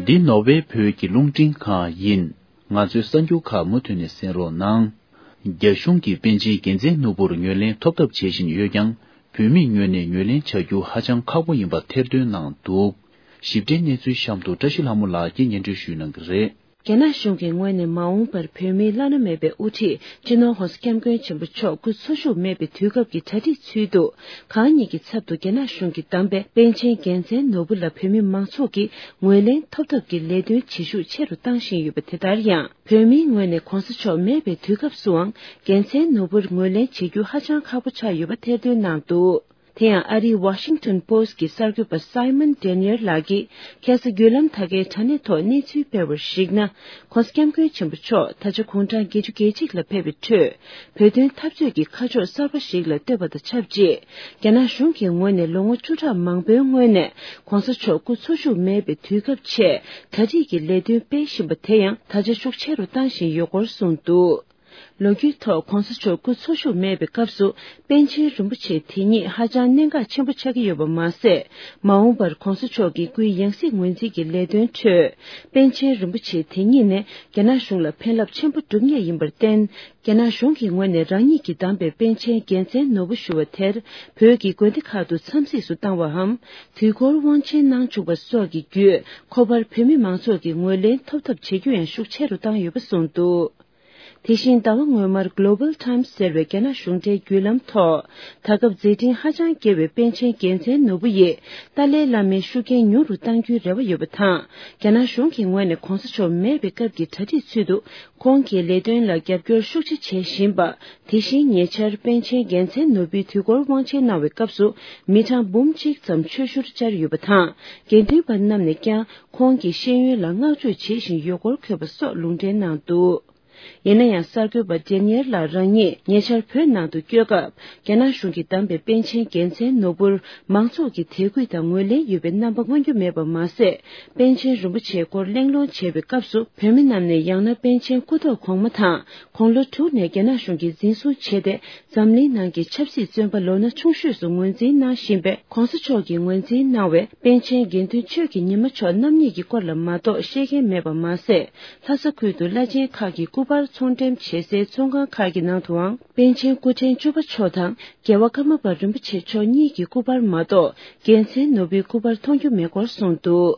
འདི་ནོར་ཝེ་བོད་ཀྱི་རླུང་འཕྲིན་ཁང་ཡིན། ང་ཚོའི་གསར་འགྱུར་ཁག་མུ་མཐུད་ནས་གསན་རོགས་གནང་། རྒྱ་གཞུང་གིས་པཎ་ཆེན་རྒྱལ་མཚན་ནོར་བུར་ངོས་ལེན་ཐོབ་ཐབས་བྱེད་བཞིན་ཡོད་ཀྱང་། བོད་མིའི་ངོས་ནས་ངོས་ལེན་བྱ་རྒྱུ་ཧ་ཅང་ཁག་པོ་ཡིན་པ་ཐེར་འདོན་གནང་འདུག། ཞིབ་ཕྲའི་གནས་ཚུལ་གཤམ་དུ་བཀྲ་ཤིས་ལྷ་མོ་ལགས་ཀྱིས་སྙན་སྒྲོན་ཞུ་གནང་གི་རེད། རྒྱ་ནག་གཞུང་གི་ངོས་ནས་མ་འོངས་པར་བོད་མིའི་བླ་ན་མེད་པའི་དབུ་ཁྲིད་སྤྱི་ནོར་༸གོང་ས་༸སྐྱབས་མགོན་ཆེན་པོ་མཆོག་སྐུ་འཚོ་བཞུགས་མེད་པའི་དུས་སྐབས་ཀྱི་གྲ་སྒྲིག་ཚུལ་དུ། གང་ཉིད་ཀྱི་ཚབ་ཏུ་རྒྱ་ནག་གཞུང་གིས་བདམས་པའི་པཎ་ཆེན་རྒྱལ་མཚན་ནོར་བུ་ལ་བོད་མི་མང་ཚོགས་ཀྱིས་ངོས་ལེན་ཐོབ་ཐབས་ཀྱི་ལས་དོན་བྱེད་ཤུགས་ཆེ་རུ་བཏང་བཞིན་ཡོད་པ་དེ་ལྟར་ཡང་། བོད་མིའི་ངོས་ནས་༸གོང་ས་མཆོག་མེད་པའི་དུས་སྐབས་སུའང་རྒྱལ་མཚན་ནོར་བུར་ངོས་ལེན་བྱེད་རྒྱུ་ཧ་ཅང་ཁག་པོ་ཆགས་ཡོད་པ་ཐེར་འདོན་གནང་འདུག། དེ་ཡང་ཨ་རིའི་Washington Post་གྱི་གསར་འགོད་པ་Simon Denyer་ལགས་ཀྱིས་ཁ་སང་བརྒྱུད་ལམ་དག་གའི་དྲ་གནས་ཐོག་གནས་ཚུལ་སྤེལ་བར་གཞིགས་ན། ྋགོང་ས་ྋསྐྱབས་མགོན་ཆེན་པོ་མཆོག་ད་ཆ་དགུང་གྲངས་བརྒྱད་ཅུ་གྱ་གཅིག་ལ་ཕེབས་པའི་ཁྲོད། བོད་དོན་འཐབ་རྩོད་ཀྱི་ཁ་ཕྱོགས་གསར་པ་ཞིག་ལ་བཏོད་པ་དང་ཆབས་ཅིག་རྒྱ་ནག་གཞུང་གི་ངོས་ནས་ལོ་ངོ་བཅུ་ཕྲག་མང་པོའི་སྔོན་ནས་ྋགོང་ས་མཆོག་སྐུ་འཚོ་བཞུགས་མེད་པའི་དུས་སྐབས་ཆེད་གྲ་སྒྲིག་གི་ལས་དོན་སྤེལ་བཞིན་པ་དེ་ཡང་ད་ཆ་ཤུགས་ཆེ་རུ་བཏང་བཞིན་ཡོད་སྐོར་གསུངས་འདུག་ལོ་རྒྱུས་ཐོག་ྋགོང་ས་མཆོག་སྐུ་འཚོ་བཞུགས་མེད་པའི་སྐབས་སུ་པཎ་ཆེན་རིན་པོ་ཆེ་དེ་ཉིད་ཧ་ཅང་གནད་འགག་ཆེན་པོ་ཆགས་ཀྱི་ཡོད་པ་མ་ཟད། མ་འོངས་པར་ྋགོང་ས་མཆོག་གི་སྐུའི་ཡང་སྲིད་ངོས་འཛིན་གྱི་ལས་དོན་ཁྲོད། པཎ་ཆེན་རིན་པོ་ཆེ་དེ་ཉིད་ནས་རྒྱ་ནག་གཞུང་ལ་ཕན་རླབས་ཆེན་པོ་སྒྲུབ་ངེས་ཡིན་པར་བརྟེན། རྒྱ་ནག་གཞུང་གི་ངོས་ནས་རང་ཉིད་ཀྱིས་བདམས་པའི་པཎ་ཆེན་རྒྱལ་མཚན་ནོར་བུ་ཞུ་བ་དེར་བོད་ཀྱི་དགོན་སྡེ་ཁག་ཏུ་འཚམས་གཟིགས་སུ་བཏང་བའམ། དུས་འཁོར་དབང་ཆེན་གནང་བཅུག་པ་སོགས་ཀྱི་བརྒྱུད་ཁོ་པར་བོད་མི་མང་ཚོགས་ཀྱི་ངོས་ལེན་ཐོབ་ཐབས་བྱེད་རྒྱུ་ཡང་ཤུགས་ཆེ་རུ་བཏང་ཡོད་པ་གསུངས་འདུག་དེ་བཞིན་ཟླ་བ་སྔོན་མར་Global Times་ཟེར་བའི་རྒྱ་ནག་གཞུང་འབྲེལ་བརྒྱུད་ལམ་ཐོག་ད་སྐབས་མཛད་འཕྲིན་ཧ་ཅང་རྒྱས་པའི་པཎ་ཆེན་རྒྱལ་མཚན་ནོར་བུ་ཡིས་ཏཱ་ལའི་བླ་མའི་ཤུགས་རྐྱེན་ཉུང་རུ་གཏང་རྒྱུའི་རེ་བ་ཡོད་པ་དང་། རྒྱ་ནག་གཞུང་གི་ངོས་ནས་ྋགོང་ས་མཆོག་མེད་པའི་སྐབས་ཀྱི་གྲ་སྒྲིག་ཚུལ་དུ་ཁོང་གི་ལས་དོན་ལ་རྒྱབ་སྐྱོར་ཤུགས་ཆེ་བྱེད་བཞིན་པ། དེ་བཞིན་ཉེ་ཆར་པཎ་ཆེན་རྒྱལ་མཚན་ནོར་བུའི་དུས་འཁོར་དབང་ཆེན་གནང་བའི་སྐབས་སུ་མི་གྲངས་འབུམ་གཅིག་ཙམ་ཆོས་ཞུར་བཅར་ཡོད་པ་དང་། དགེ་འདུན་པ་རྣམས་ནས་ཀྱང་ཁོང་གི་ཤེས་ཡོན་ལ་བསྔགས་བརྗོད་བྱེད་བཞིན་ཡོད་སྐོར་འཁོད་པ་སོགས་ལུང་འདྲེན་གནང་འདུག་ཡིན་ན་ཡང་གསར་འགོད་པ་ཌེ་ནི་ཡལ་ལགས་རང་ཉིད་ཉེ་ཆར་བོད་ནང་དུ་བསྐྱོད་སྐབས། རྒྱ་ནག་གཞུང་གིས་བདམས་པའི་པཎ་ཆེན་རྒྱལ་མཚན་ནོར་བུར་མང་ཚོགས་ཀྱི་དད་གུས་དང་ངོས་ལེན་ཡོད་པའི་རྣམ་པ་མངོན་རྒྱུ་མེད་པ་མ་ཟད། པཎ་ཆེན་རིན་པོ་ཆེའི་སྐོར་གླེང་སློང་བྱས་པའི་སྐབས་སུ་བོད་མི་རྣམས་ནས་ཡང་ན་པཎ་ཆེན་སྐུ་ཐོག་གོང་མ་དང་དགུང་ལོ་དྲུག་ནས་རྒྱ་ནག་གཞུང་གིས་འཛིན་བཟུང་བྱས་ཏེ། འཛམ་གླིང་ནང་གི་ཆབ་སྲིད་བཙོན་པ་ལོ་ན་ཆུང་ཤོས་སུ་ངོས་འཛིན་གནང་བཞིན་པའི་ྋགོང་ས་མཆོག་གིས་ངོས་འཛིན་གནང་བའི་པཎ་ཆེན་དགེ་འདུན་ཆོས་ཀྱི་ཉི་མ་མཆོག་རྣམ་གཉིས་ཀྱི་སྐོར་ལ་མ་གཏོགས་ཤེས་མཁན་མེད་པ་མ་ཟད། ལྷ་ས་ཁུལ་དུ་བླ་ཆེན་ཁག་གི་སྐུ་པར་ཚོང་འགྲེམས་བྱེད་སའི་ཚོང་ཁང་ཁག་གི་ནང་དུའང་པཎ་ཆེན་སྐུ་ཕྲེང་བཅུ་པ་མཆོག་དང་རྒྱལ་བ་ཀརྨ་པ་རིན་པོ་ཆེ་མཆོག་གཉིས་ཀྱི་སྐུ་པར་མ་གཏོགས་རྒྱལ་མཚན་ནོར་བུའི་སྐུ་པར་མཐོང་རྒྱུ་མེད་སྐོར་གསུངས་འདུག་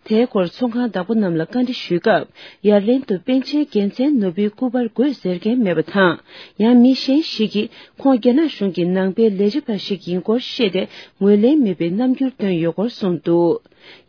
དེའི་སྐོར་ཚོང་ཁང་བདག་པོ་རྣམས་ལ་བཀའ་འདྲི་ཞུས་སྐབས། ཡར་ལན་དུ་པཎ་ཆེན་རྒྱལ་མཚན་ནོར་བུའི་སྐུ་པར་དགོས་ཟེར་མཁན་མེད་པ་དང་། ཡང་མི་གཞན་ཞིག་གིས་ཁོང་རྒྱ་ནག་གཞུང་གི་ནང་པའི་ལས་བྱེད་པ་ཞིག་ཡིན་སྐོར་བཤད་དེ་ངོས་ལེན་མེད་པའི་རྣམ་འགྱུར་བཏོན་ཡོད་སྐོར་གསུངས་འདུག་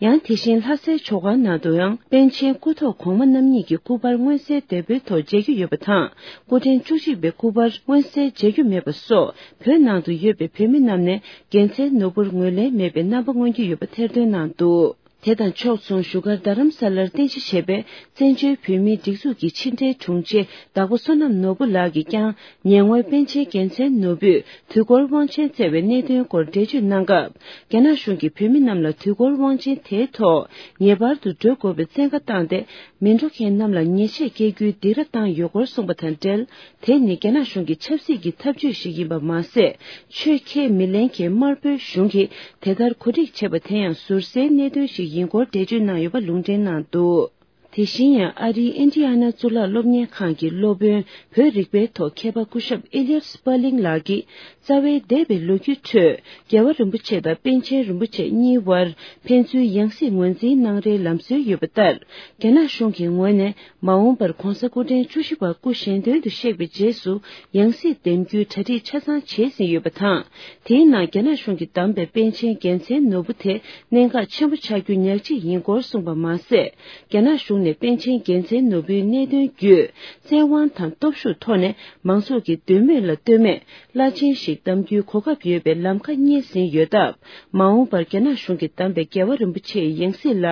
ཡང་དེ་བཞིན་ལྷ་སའི་ཇོ་ཁང་ནང་དུ་ཡང་པཎ་ཆེན་སྐུ་ཐོག་གོང་མ་རྣམ་གཉིས་ཀྱི་སྐུ་པར་མངོན་གསལ་དོད་པོའི་ཐོག་མཇལ་རྒྱུ་ཡོད་པ་དང་། སྐུ་ཕྲེང་བཅུ་གཅིག་པའི་སྐུ་པར་མངོན་གསལ་མཇལ་རྒྱུ་མེད་པ་སོགས་བོད་ནང་དུ་ཡོད་པའི་བོད་མི་རྣམས་ནས་རྒྱལ་མཚན་ནོར་བུར་ངོས་ལེན་མེད་པའི་རྣམ་པ་མངོན་གྱི་ཡོད་པ་ཐེར་འདོན་གནང་འདུག་དེ་དང་ཕྱོགས་མཚུངས་བཞུགས་སྒར་རྡ་རམ་ས་ལར་རྟེན་གཞི་བྱས་པའི་བཙན་བྱོལ་བོད་མིའི་སྒྲིག་འཛུགས་ཀྱི་ཕྱི་འབྲེལ་དྲུང་ཆེ་བདག་པོ་བསོད་ནམས་ནོར་བུ་ལགས་ཀྱིས་ཀྱང་ཉེ་སྔོན་པཎ་ཆེན་རྒྱལ་མཚན་ནོར་བུས་དུས་འཁོར་དབང་ཆེན་བསྩལ་བའི་གནད་དོན་སྐོར་འགྲེལ་བརྗོད་གནང་སྐབས། རྒྱ་ནག་གཞུང་གིས་བོད་མི་རྣམས་ལ་དུས་འཁོར་དབང་ཆེན་དེའི་ཐོག་ངེས་པར་དུ་འགྲོ་དགོས་པའི་བཙན་བཀའ་བཏང་སྟེ། མི་འགྲོ་མཁན་རྣམས་ལ་ཉེས་ཆད་བཀལ་རྒྱུའི་སྡིགས་ར་བཏང་ཡོད་སྐོར་གསུངས་པ་དང་འབྲེལ། དེ་ནི་རྒྱ་ནག་གཞུང་གི་ཆབ་སྲིད་ཀྱི་ཐབས་ཇུས་ཤིག་ཡིན་པ་མ་ཟད། ཆོས་ཁས་མི་ལེན་མཁན་དམར་པོའི་གཞུང་གིས་དེ་ལྟར་གོ་སྒྲིག་བྱས་པ་དེ་ཡང་ཟུར་ཟའི་གནད་དོན་ཞིག་ཡིན་སྐོར་འགྲེལ་བརྗོད་གནང་ཡོད་པ་ལུང་འདྲེན་གནང་འདུག་དེ་བཞིན་ཡང་ཨ་རིའི་ཨིན་ཌི་ཡ་ན་གཙུག་ལག་སློབ་གཉེར་ཁང་གི་སློབ་དཔོན་བོད་རིག་པའི་ཐོག་མཁས་པ་སྐུ་ཞབས་ཨེ་ལི་ཡར་སི་པར་ལིང་ལགས་ཀྱིས། རྩ་བའི་འདས་པའི་ལོ་རྒྱུས་ཁྲོད་རྒྱལ་བ་རིན་པོ་ཆེ་དང་པཎ་ཆེན་རིན་པོ་ཆེ་གཉིས་དབར་ཕན་ཚུན་ཡང་སྲིད་ངོས་འཛིན་གནང་རེས་ལམ་སྲོལ་ཡོད་པ་ལྟར། རྒྱ་ནག་གཞུང་གི་ངོས་ནས་མ་འོངས་པར་༧གོང་ས་སྐུ་ཕྲེང་བཅུ་བཞི་པ་སྐུ་གཞན་དོན་དུ་གཤེགས་པའི་རྗེས་སུ་ཡང་སྲིད་འདེམས་རྒྱུའི་གྲ་སྒྲིག་ཆ་ཚང་བྱས་ཟིན་ཡོད་པ་དང་། དེའི་ནང་རྒྱ་ནག་གཞུང་གིས་བདམས་པའི་པཎ་ཆེན་རྒྱལ་མཚན་ནོར་བུ་དེ་གནད་འགག་ཆེན་པོ་ཆགས་རྒྱུ་ཉག་གཅིག་ཡིན་སྐོར་གསུངས་པ་མ་ཟད། རྒྱ་ནག་གཞུང་ནས་པཎ་ཆེན་རྒྱལ་མཚན་ནོར་བུའི་གནད་དོན་བརྒྱུད་བཙན་དབང་དང་སྟོབས་ཤུགས་ཐོག་ནས་མང་ཚོགས་ཀྱི་འདོད་མོས་ལ་ལྟོས་མེད། བླ་ཆེན་ཞིག་བདམ་རྒྱུའི་གོ་སྐབས་ཡོད་པའི་ལམ་ཁ་རྙེད་ཟིན་ཡོད་སྟབས། མ་འོངས་པར་རྒྱ་ནག་གཞུང་གིས་བདམས་པའི་རྒྱལ་བ་རིན་པོ་ཆེའི་ཡང་སྲིད་ལ་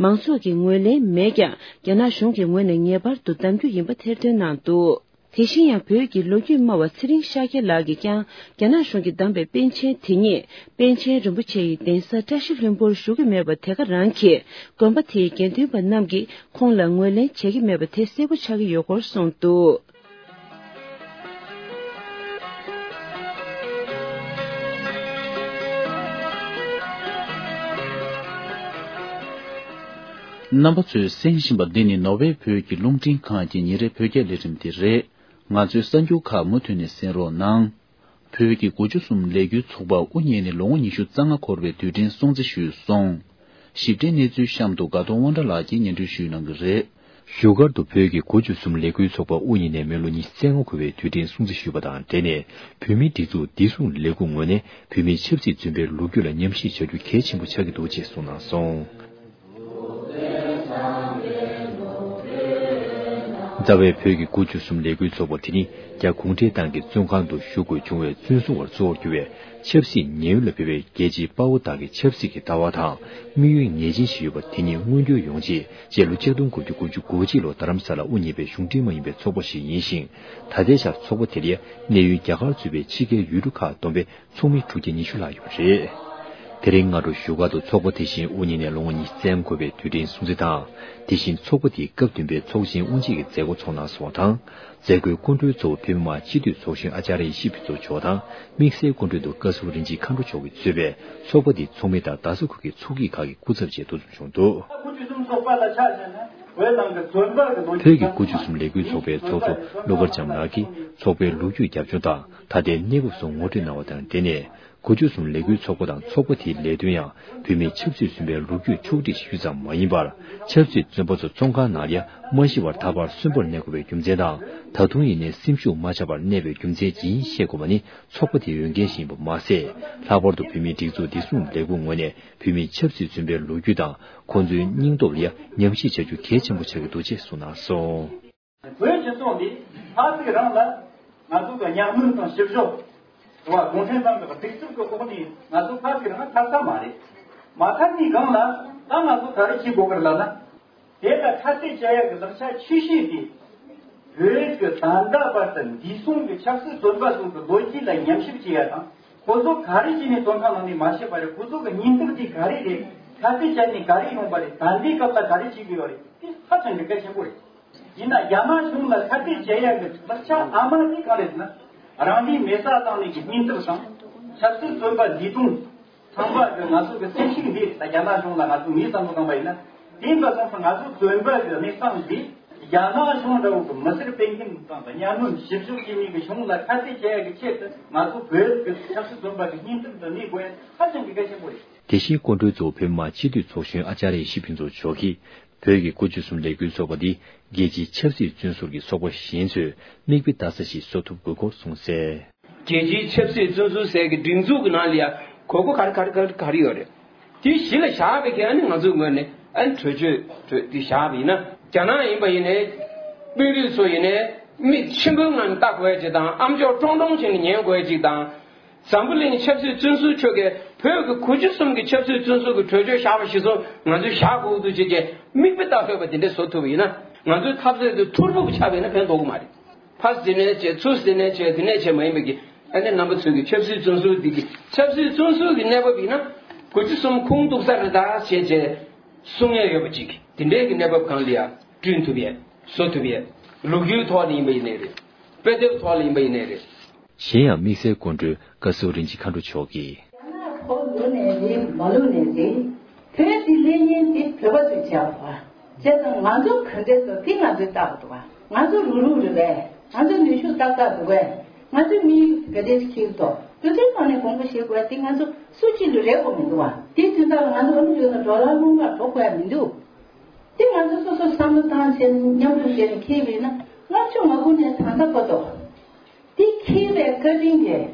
མང་ཚོགས་ཀྱི་ངོས་ལེན་མེད་ཀྱང་། རྒྱ་ནག་གཞུང་གི་ངོས་ནས་ངེས་པར་དུ་བདམ་རྒྱུ་ཡིན་པ་ཐེར་འདོན་གནང་འདུག་དེ་བཞིན་ཡང་བོད་ཀྱི་ལོ་རྒྱུས་སྨྲ་བ་ཚེ་རིང་ཤཱཀྱ་ལགས་ཀྱིས་ཀྱང་རྒྱ་ནག་གཞུང་གིས་བདམས་པའི་པཎ་ཆེན་དེ་ཉིད་པཎ་ཆེན་རིན་པོ་ཆེ་ཡི་གདན་ས་བཀྲ་ཤིས་ལྷུན་པོར་བཞུགས་ཀྱི་མེད་པ་དེ་ག་རང་གིས་དགོན་པ་དེའི་དགེ་འདུན་པ་རྣམས་ཀྱིས་ཁོང་ལ་ངོས་ལེན་བྱེད་ཀྱི་མེད་པ་དེ་གསལ་པོ་ཆགས་ཀྱི་ཡོད་སྐོར་གསུངས་འདུག་རྣམ་པ་ཚོས་གསན་བཞིན་པ་འདི་ནི་ནོར་ཝེ་བོད་ཀྱི་རླུང་འཕྲིན་ཁང་གི་ཉིན་རེའི་བོད་སྐད་ལས་རིམ་དེ་རེད། ང་ཚོའི་གསར་འགྱུར་ཁག་མུ་མཐུད་ནས་གསན་རོགས་གནང་། བོད་ཀྱི་དགུ་བཅུ་གསུམ་ལས་འགུལ་ཚོགས་པ་དབུ་བརྙེས་ནས་ལོ་ངོ་ཉི་ཤུ་རྩ་ལྔ་འཁོར་བའི་དུས་དྲན་སྲུང་བརྩི་ཞུས་སོང་། ཞིབ་ཕྲའི་གནས་ཚུལ་གཤམ་དུ་དགའ་གདོང་དབང་གྲགས་ལགས་ཀྱིས་སྙན་སྒྲོན་ཞུས་གནང་གི་རེད། བཞུགས་སྒར་དུ་བོད་ཀྱི་དགུ་བཅུ་གསུམ་ལས་འགུལ་ཚོགས་པ་དབུ་བརྙེས་ནས་མི་ལོ་ཉི་ཤུ་རྩ་ལྔ་འཁོར་བའི་དུས་དྲན་སྲུང་བརྩི་ཞུས་པ་དང་འབྲེལ་ནས། བོད་མིའི་སྒྲིག་འཛུགས་བདེ་སྲུང་ལས་ཁུངས་ངོས་ནས་བོད་མིའི་ཆབ་སྲིད་བཙོན་པའི་ལོ་རྒྱུས་ལ་ཉམས་ཞིབ་བྱ་རྒྱུ་གལ་ཆེན་པོ་ཆགས་ཀྱི་འདུག་ཅེས་གསུངས་གནང་སོང་། རྩ་བའི་བོད་ཀྱི་དགུ་བཅུ་གསུམ་ལས་འགུལ་ཚོགས་པ་དེ་ནི་རྒྱ་གུང་ཁྲན་ཏང་གི་བཙོན་ཁང་དུ་བཞུགས་དགོས་བྱུང་བའི་བཙོན་སྲུང་བར་གཙོ་བོར་གྱུར་བའི་ཆབ་སྲིད་ཉེན་གཡོལ་ལ་ཕེབས་པའི་རྒྱལ་གཅེས་དཔའ་བོ་དག་གི་ཆབ་སྲིད་ཀྱི་ལྟ་བ་དང་དམིགས་ཡུལ་ངེས་ཅན་ཞིག་ཡོད་པ་དེ་ཉིད་མངོན་འགྱུར་ཡོང་ཆེད་སྤྱི་ལོ་ཆིག་སྟོང་དགུ་བརྒྱ་དགུ་བཅུ་གོ་གཅིག་ལོར་རྡ་རམ་ས་ལར་དབུ་བརྙེས་པའི་གཞུང་འབྲེལ་མ་ཡིན་པའི་ཚོགས་པ་ཞིག་ཡིན་ཞིང་། ད་ལྟའི་ཆར་ཚོགས་པ་དེ་ལ་གནས་ཡུལ་རྒྱ་གར་གཙོས་པའི་ཕྱི་རྒྱལ་ཡུལ་གྲུ་ཁག་བསྡོམས་པའི་ཚོགས་མི་དྲུག་བརྒྱ་ཉི་ཤུ་ལྷག་ཡོད་པ་རེད། དེ་རིང་སྔ་དྲོ་བཞུགས་སྒར་དུ་ཚོགས་པ་དེ་བཞིན་དབུ་བརྙེས་ནས་ལོ་ངོ་ཉི་ཤུ་རྩ་ལྔ་འཁོར་བའི་དུས་དྲན་སྲུང་བརྩི་དང་། དེ་བཞིན་ཚོགས་པ་དེའི་སྐབས་བདུན་པའི་ཚོགས་ཆེན་དབུ་འབྱེད་ཀྱི་མཛད་སྒོ་ཚོགས་གནང་སོང་བ་དང་། མཛད་སྒོའི་སྐུ་མགྲོན་གཙོ་བོ་བོད་མི་མང་སྤྱི་འཐུས་ཚོགས་གཞོན་ཨ་ཅཱརྱ་ཡེ་ཤེས་ཕུན་ཚོགས་མཆོག་དང་། དམིགས་བསལ་སྐུ་མགྲོན་དུ་བཀའ་ཟུར་རིན་ཆེན་མཁའ་འགྲོ་མཆོག་གིས་གཙོས་པའི་ཚོགས་པ་དེའི་ཚོགས་མི་དང་རྡ་ས་ཁུལ་གྱི་ཚོགས་སྐྱིད་ཁག་གི་སྐུ་ཚབ་བཅས་འདུ་འཛོམས་བྱུང་འདུག་བོད་ཀྱི་དགུ་བཅུ་གསུམ་ལས་འགུལ་ཚོགས་པའི་ཚོགས་གཙོ་བློ་དཀར་འཇམ་ལགས་ཀྱིས་ཚོགས་པའི་ལོ་རྒྱུས་རྒྱབ་ལྗོངས་དང་ད་ལྟའི་གནས་བབ་སོགས་ངོ་སྤྲོད་གནང་བ་དང་འབྲེལ་ནས། དགུ་བཅུ་གསུམ་ལས་འགུལ་ཚོགས་པ་དང་ཚོགས་པ་དེའི་ལས་དོན་ཡང་བོད་མིའི་ཆབ་སྲིད་བཙོན་པའི་ལོ་རྒྱུས་ཕྱོགས་སྒྲིག་ཞུས་ཙམ་མ་ཡིན་པར། ཆབ་སྲིད་བཙོན་པ་ཚོ་བཙོན་ཁང་ནང་ལ་ཡང་མ་ཤི་བར་ད་བར་གསོན་པོར་གནས་དགོས་པའི་རྒྱུ་མཚན་དང་། ད་དུང་ཡིན་ནའི་སེམས་ཤུགས་མ་ཆག་པར་གནས་པའི་རྒྱུ་མཚན་ཇི་ཡིན་ཤེས་དགོས་པ་ནི་ཚོགས་པ་དེའི་འོས་འགན་ཞིག་ཡིན་པ་མ་ཟད། ལྷག་པར་དུ་བོད་མིའི་སྒྲིག་འཛུགས་བདེ་སྲུང་ལས་ཁུངས་ངོས་ནས་བོད་མིའི་ཆབ་སྲིད་བཙོན་པའི་ལོ་རྒྱུས་དང་ཁོང་ཚོའི་སྙིང་སྟོབས་ལ་ཡང་ཉམས་ཞིབ་བྱ་རྒྱུ་གལ་ཆེན་པོ་ཆགས་ཀྱི་འདུག་ཅེས་གསུངས་གནང་སོང་། བོད་སྤྱི་ཚོགས་འདི་ཕ་གི་རང་ལ་ང་ཚོ་གི་གཉའ་གནོན་དང་ཞིབ་འཇུག་རེད་བ། གུང་ཁྲན་ཏང་གི་སྒྲིག་འཛུགས་ཀྱི་འོག་ནས་ང་ཚོ་ཕ་གི་རང་ཐར་ས་མ་རེད། མ་ཐར་ནས་སྒང་ལ་ད་ང་ཚོ་ག་རེ་བྱེད་དགོས་ཀྱི་རེད་ལབ་ན། དེ་ལ་ཁ་གཏད་བཅག་ཡག་གི་ལག་ཆ་ཆེ་ཤོས་དེ། བོད་ཀྱི་ད་ལྟ་བར་དུ་འདས་སོང་གི་ཆབ་སྲིད་བཙོན་པ་ཚོ་གི་ལོ་རྒྱུས་ལ་ཉམས་ཞིབ་བྱེད་ཡ་དང་། ཁོ་ཚོ་ག་རེ་བྱས་ནས་བཙོན་ཁང་ནང་ནས་མ་ཤི་བ་རེད། ཁོ་ཚོ་གི་སྙིང་སྟོབས་དེ་ག་རེ་རེད། ཁ་གཏད་བཅག་ནས་ག་རེ་ཡོང་པ་རེད། ད་ལྟའི་སྐབས་ལ་ག་རེ་བྱེད་དགོས་པ་རེད། དེ་ཧ་ཅང་གི་གལ་ཆེན་པོ་རེད། ཡིན་ན་རྒྱ་ནག་གཞུང་ལ་ཁ་གཏད་བཅག་ཡག་གི་ལག་ཆ་ཨ་མ་དེ་ག་རེ་ཟེར་ན། རང་དེའི་མེ་སྲེག་བཏང་ནས་ཀྱི་སྙིང་སྟོབས་དང་། ཆབ་སྲིད་བཙོན་པ་ལས་དོན་ཚང་མ་གི་ང་ཚོ་གི་སེམས་ཤུགས་འདི་ད་རྒྱ་ནག་གཞུང་ལ་ང་ཚོ་ངའི་བསམ་བློ་བཏང་པ་ཡིན་ན། དེ་འདྲ་སོང་ཙང་ང་ཚོ་བཙོན་པ་གི་གནས་སྟངས་འདི་རྒྱ་ནག་གཞུང་འདྲ་བོ་གི་མི་སེར་སྤེལ་མཁན་དང་གཉའ་གནོན་ཞིབ་འཇུག་བྱེད་མཁན་གི་གཞུང་ལ་ཁ་གཏད་བཅག་ཡག་གི་ཆེད་དུ་ང་ཚོ་བོད་ཀྱི་ཆབ་སྲིད་བཙོན་པ་གི་སྙིང་སྟོབས་འདི་གནས་དགོས་ཡ་ཧ་ཅང་གི་གལ་ཆེན་པོ་རེད། དེ་བཞིན་སྐུ་མགྲོན་གཙོ་བོ་བོད་མི་མང་སྤྱི་འཐུས་ཚོགས་གཞོན་ཨ་ཅཱརྱ་ཡེ་ཤེས་ཕུན་ཚོགས་མཆོག་གིས། བོད་ཀྱི་དགུ་བཅུ་གསུམ་ལས་འགུལ་ཚོགས་པ་འདི་རྒྱལ་སྤྱིའི་ཆབ་སྲིད་བཙོན་ཟུར་གྱི་ཚོགས་པ་གཞན་ཚོས་མིག་དཔེ་ལྟ་ས་ཞིག་བཟོ་ཐུབ་དགོས་སྐོར་གསུངས་གསལ། རྒྱལ་སྤྱིའི་ཆབ་སྲིད་བཙོན་ཟུར་ཟེར་གྱི་སྒྲིག་འཛུགས་ཀྱི་ནང་ལ་ཡང་དགོས་མཁོ་ག་རེ་ག་རེ་ག་རེ་ག་རེ་ཡོད་རེད། དེ་གཞི་ལ་བཞག་པའི་གི་ཨ་ནི་ང་ཚོའི་ངོས་ནས་ཨ་ནི་གྲོས་ཆོད་གྲོས་དེ་བཞག་པ་ཡིན་ན། རྒྱ་ནག་ཡིན་པ་ཡིན་ནའི་དཔོན་རིགས་ཚོ་ཡིན་ནའི་མིག་ཆེན་པོའི་ངང་ནས་ལྟ་དགོས་ཡ་ཅིག་དང་། ཨམ་ཅོག་ཀྲོང་ཀྲོང་བྱས་ནས་ཉན་དགོས་ཡ་ཅིག་དང་། འཛམ་བུ་གླིང་ཆབ་སྲིད་བཙོན་ཟུར་ཁྲོད་ཀྱི་བོད་ཀྱི་དགུ་བཅུ་གསུམ་གྱི་ཆབ་སྲིད་བཙོན་ཟུར་གྱི་གྲོས་ཆོད་བཞག་པ་གཞིར་བཟུང་ང་ཚོས་བཞག་དགོས་འདུག་ཅེས་ཀྱི་མིག་དཔེ་ལྟ་ཕོད་པ་དེ་འདྲ་བཟོ་ཐུབ་པ་ཡིན་ན། ང་ཚོའི་འཐབ་རྩོད་དེ་ཐུར་ཕུབ་ཆགས་པ་ཡིན་ན་ཕན་ཐོགས་ཀྱི་མ་རེད། ཕར་དེ་ནས་བྱས་ཚུར་དེ་ནས་བྱས་དེ་ནས་བྱས་མ་ཡིན་པའི་གི་ཨ་ནི་རྣམ་པ་ཚོའི་གི་ཆབ་སྲིད་བཙོན་ཟུར་འདི་གི་ཆབ་སྲིད་བཙོན་ཟུར་གྱི་གནས་བབ་ཡིན་ན་དགུ་བཅུ་གསུམ་ཁུངས་གཏུགས་ས་རེད་ད་བྱས་བྱས་གསུང་ཡས་ཡོད་པ་ཅིག་དེ་འདྲའི་གི་གནས་བབ་གང་ལ་ཡང་བསྐྲུན་ཐུབ་ཡས་བཟོ་ཐུབ་ཡས་ལོ་རྒྱུས་ཐོག་ནས་ཡིན་པ་ཡིན་ནའི་རེད། དཔེ་དེབ་ཐོག་ལ་ཡིན་པ་ཡིན་ནའི་རེད། གཞན་ཡང་དམིགས་བསལ་སྐུ་མགྲོན་བཀའ་ཟུར་རིན་ཆེན་མཁའ་འགྲོ་མཆོག་གིས། རྒྱ་ནག་ཁོ་ལུག་ནས་རེད་མ་ལུག་ནས་རེད། བོད་འདི་ལེན་མཁན་དེ་བོད་པ་ཚོས་བྱས་པ། བྱས་ཙང་ང་ཚོ་ག་འདྲས་སོ་དེ་ང་ཚོས་བལྟ་གི་འདུག་ག་ང་ཚོ་རུག་རུག་རེད་པས། ང་ཚོ་ནུས་ཤུགས་ཏག་ཏག་འདུག་གས། ང་ཚོས་མི་ག་འདྲས་ཁྱེར་གི་འདུག་དུས་ཚོད་ཐོག་ནས་དགོངས་པ་བཞེས་དགོས་དེ་ང་ཚོ་སུ་གཅིག་ལ་རེ་དགོས་མི་འདུག་ག་དེ་དུས་ད་ང་ཚོ་ཨ་མི་རི་ཀ་ནང་ཌོ་ལར་སྔོན་མ་འགྲོ་དགོས་ཡ་མི་འདུག་དེ་ང་ཚོ་སོ་སོ་བསམ་བློ་བཏང་བྱས་ནས་མཉམ་རུབ་བྱས་ནས་འཁྱེར་བ་ཡིན་ན་ལྔ་བཅུ་ང་དགུ་ནས་ད་ལྟ་བར་དུ། དེ་འཁྱེར་བའི་བཀའ་དྲིན་གྱིས།